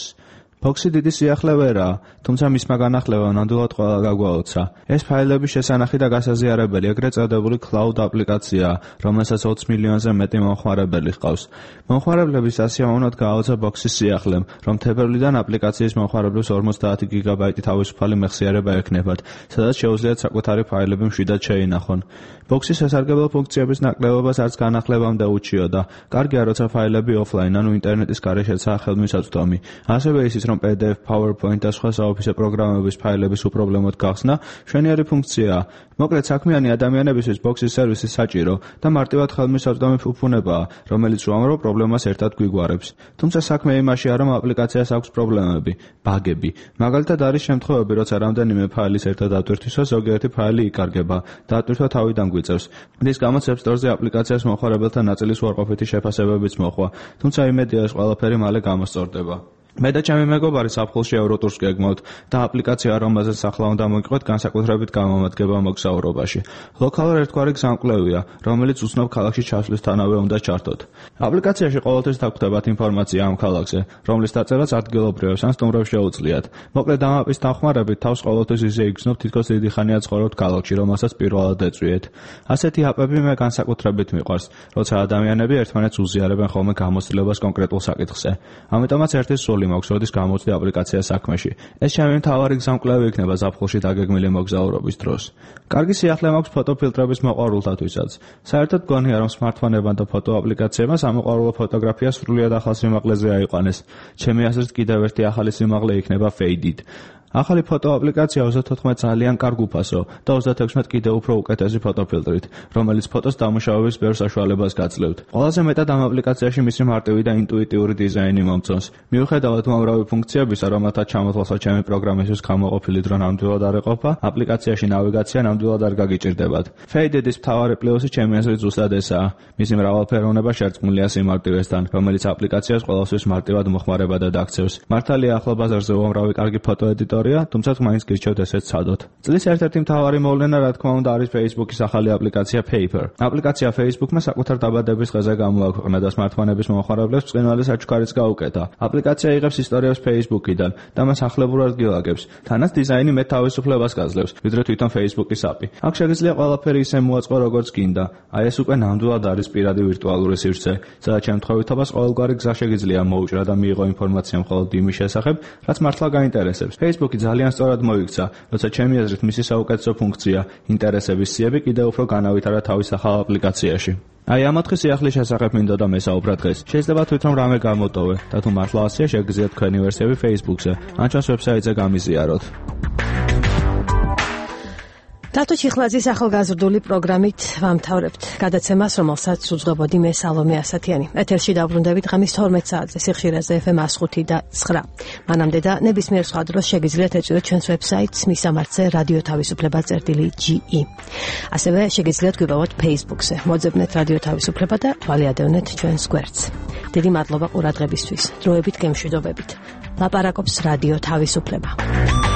Box-ი დიდი სიახლე ვერაა, თუმცა მისმა განახლებამ ნამდვილად ყველა გაგვაოცა. ეს ფაილების შესანახი და გასაზიარებელი ეგრეთ წოდებული cloud აპლიკაციაა, რომელსაც 20 მილიონზე მეტი მომხმარებელი ჰყავს. მომხმარებლების სასიამოვნოდ გააოცა Box-ის სიახლემ, რომ თებერვლიდან აპლიკაციის მომხმარებლებს 50 გიგაბაიტი თავისუფალი მეხსიერება ექნებათ, სადაც შეუძლიათ საკუთარი ფაილები მშვიდად შეინახონ. Box-ის სასარგებლო ფუნქციების ნაკლებობას არც განახლებამდე უჩიოდა. კარგია, როცა ფაილები offline, ანუ ინტერნეტის გარეშეცაა ხელმისაწვდომი. ასევე ისიც, რომ PDF, PowerPoint და სხვა საოფისე პროგრამების ფაილების უპრობლემოდ გახსნა, მშვენიერი ფუნქციაა. მოკლედ, საქმიანი ადამიანებისთვის Box-ის სერვისი საჭირო და მარტივად ხელმისაწვდომი ფუფუნებაა, რომელიც უამრავ პრობლემას ერთად გვიგوارებს. თუმცა საქმე იმაშია, რომ აპლიკაციას აქვს პრობლემები, ბაგები. მაგალითად არის შემთხვევები, როცა რამდენიმე ფაილის ერთად დატვირთვისას ზოგიერთი ფაილი იკარგება, დატვირთვა თავიდან გვიწევს. რის გამოც App Store-ზე აპლიკაციას მომხმარებელთა ნაწილის უარყოფითი შეფასებებიც მოხვა, თუმცა იმედია ეს ყველაფერი მალე გამოსწორდება. მე და ჩემი მეგობარი საფხულში ევროტურს გეგმავთ და აპლიკაცია, რომელზეც ახლა უნდა მოგიყვეთ, განსაკუთრებით გამომადგება მოგზაურობაში. ლოკალურ ერთგვარი გზამკვლევია, რომელიც უცნობ ქალაქში ჩასვლისთანავე უნდა ჩართოთ. აპლიკაციაში ყოველთვის დაგხვდებათ ინფორმაცია ამ ქალაქზე, რომლის დაწერაც ადგილობრივებს ან სტუმრებს შეუძლიათ. მოკლედ ამ აპის დახმარებით თავს ყოველთვის ისე იგრძნობთ, თითქოს დიდი ხანია ცხოვრობთ ქალაქში, რომელსაც პირველად ეწვიეთ. ასეთი აპები მე განსაკუთრებით მიყვარს, როცა ადამიანები ერთმანეთს უზიარებენ ხოლმე გამოცდილებას კონკრეტულ საკითხზე. ამიტომაც ერთი სული მაქვს, როდის გამოცდი აპლიკაცია საქმეში. ეს ჩემი მთავარი გზამკვლევი იქნება ზაფხულში დაგეგმილი მოგზაურობის დროს. კარგი სიახლე მაქვს ფოტოფილტრების მოყვარულთათვისაც. საერთოდ გონია, რომ smartphone-ებმა და ფოტო აპლიკაციებმა სამოყვარულო ფოტოგრაფია სრულიად ახალ სიმაღლეზე აიყვანეს. ჩემი აზრით კიდევ ერთი ახალი სიმაღლე იქნება Faded. ახალი ფოტო აპლიკაცია 34 ძალიან კარგ უფასო და 36 კიდევ უფრო უკეთესი ფოტოფილტრით, რომელიც ფოტოს დამუშავების ბევრ საშუალებას გაძლევთ. ყველაზე მეტად ამ აპლიკაციაში მისი მარტივი და ინტუიტიური დიზაინი მომწონს. მიუხედავად უამრავი ფუნქციებისა, რომელთა ჩამოთვალსაც ჩემი პროგრამისთვის გამოყოფილი დრო ნამდვილად არ ეყოფა, აპლიკაციაში ნავიგაცია ნამდვილად არ გაგიჭირდებათ. Faded-ის მთავარი პლუსი ჩემი აზრით ზუსტად ესაა. მისი მრავალფეროვნება შერწყმულია სიმარტივესთან, რომელიც აპლიკაციას ყველასთვის მარტივად მოხმარებადად აქცევს. მართალია ახლა ბაზარზე უამრავი კარგი ფოტოედიტორი ისტორია, თუმცა მაინც გირჩევთ ესეც ცადოთ. წლის ერთ-ერთი მთავარი მოვლენა, რა თქმა უნდა, არის Facebook-ის ახალი აპლიკაცია Paper. აპლიკაცია Facebook-მა საკუთარ დაბადების დღეზე გამოაქვეყნა და სმარტფონების მომხმარებლებს ბრწყინვალე საჩუქარიც გაუკეთა. აპლიკაცია იღებს ისტორიებს Facebook-იდან და მას ახლებურად გილაგებს. თანაც დიზაინი მეტ თავისუფლებას გაძლევს, ვიდრე თვითონ Facebook-ის API. აქ შეგიძლია ყველაფერი ისე მოაწყო, როგორც გინდა. აი ეს უკვე ნამდვილად არის პირადი ვირტუალური სივრცე, სადაც შემთხვევითობას ყოველგვარი გზა შეგიძლია მოუჭრა და მიიღო ინფორმაცია მხოლოდ იმის შესახებ, რაც მართლა გაინტერესებს. Facebook-ი ძალიან სწორად მოიქცა, როცა ჩემი აზრით მისი საუკეთესო ფუნქცია, ინტერესების სიები კიდევ უფრო განავითარა თავის ახალ აპლიკაციაში. აი ამ 4 სიახლის შესახებ მინდოდა მესაუბრა დღეს. შეიძლება თვითონ რამე გამოტოვე და თუ მართლა ასეა, შეგიძლიათ თქვენი ვერსიები Facebook-ზე, ან ჩვენს ვებსაიტზე გამიზიაროთ. დათო ჩიხლაძის ახალგაზრდული პროგრამით ვამთავრებთ გადაცემას, რომელსაც უძღვებოდი მე სალომე ასათიანი. ეთერში დავბრუნდებით ღამის 12 საათზე სიხშირეზე FM 105 და 9. მანამდე და ნებისმიერ სხვა დროს შეგიძლიათ ეწვიოთ ჩვენს ვებსაიტს მისამართზე რადიო თავისუფლება.ge. ასევე შეგიძლიათ გვიპოვოთ Facebook-ზე. მოძებნეთ რადიო თავისუფლება და თვალიადევნეთ ჩვენს გვერდს. დიდი მადლობა ყურადღებისთვის. დროებით გემშვიდობებით. ლაპარაკობს რადიო თავისუფლება.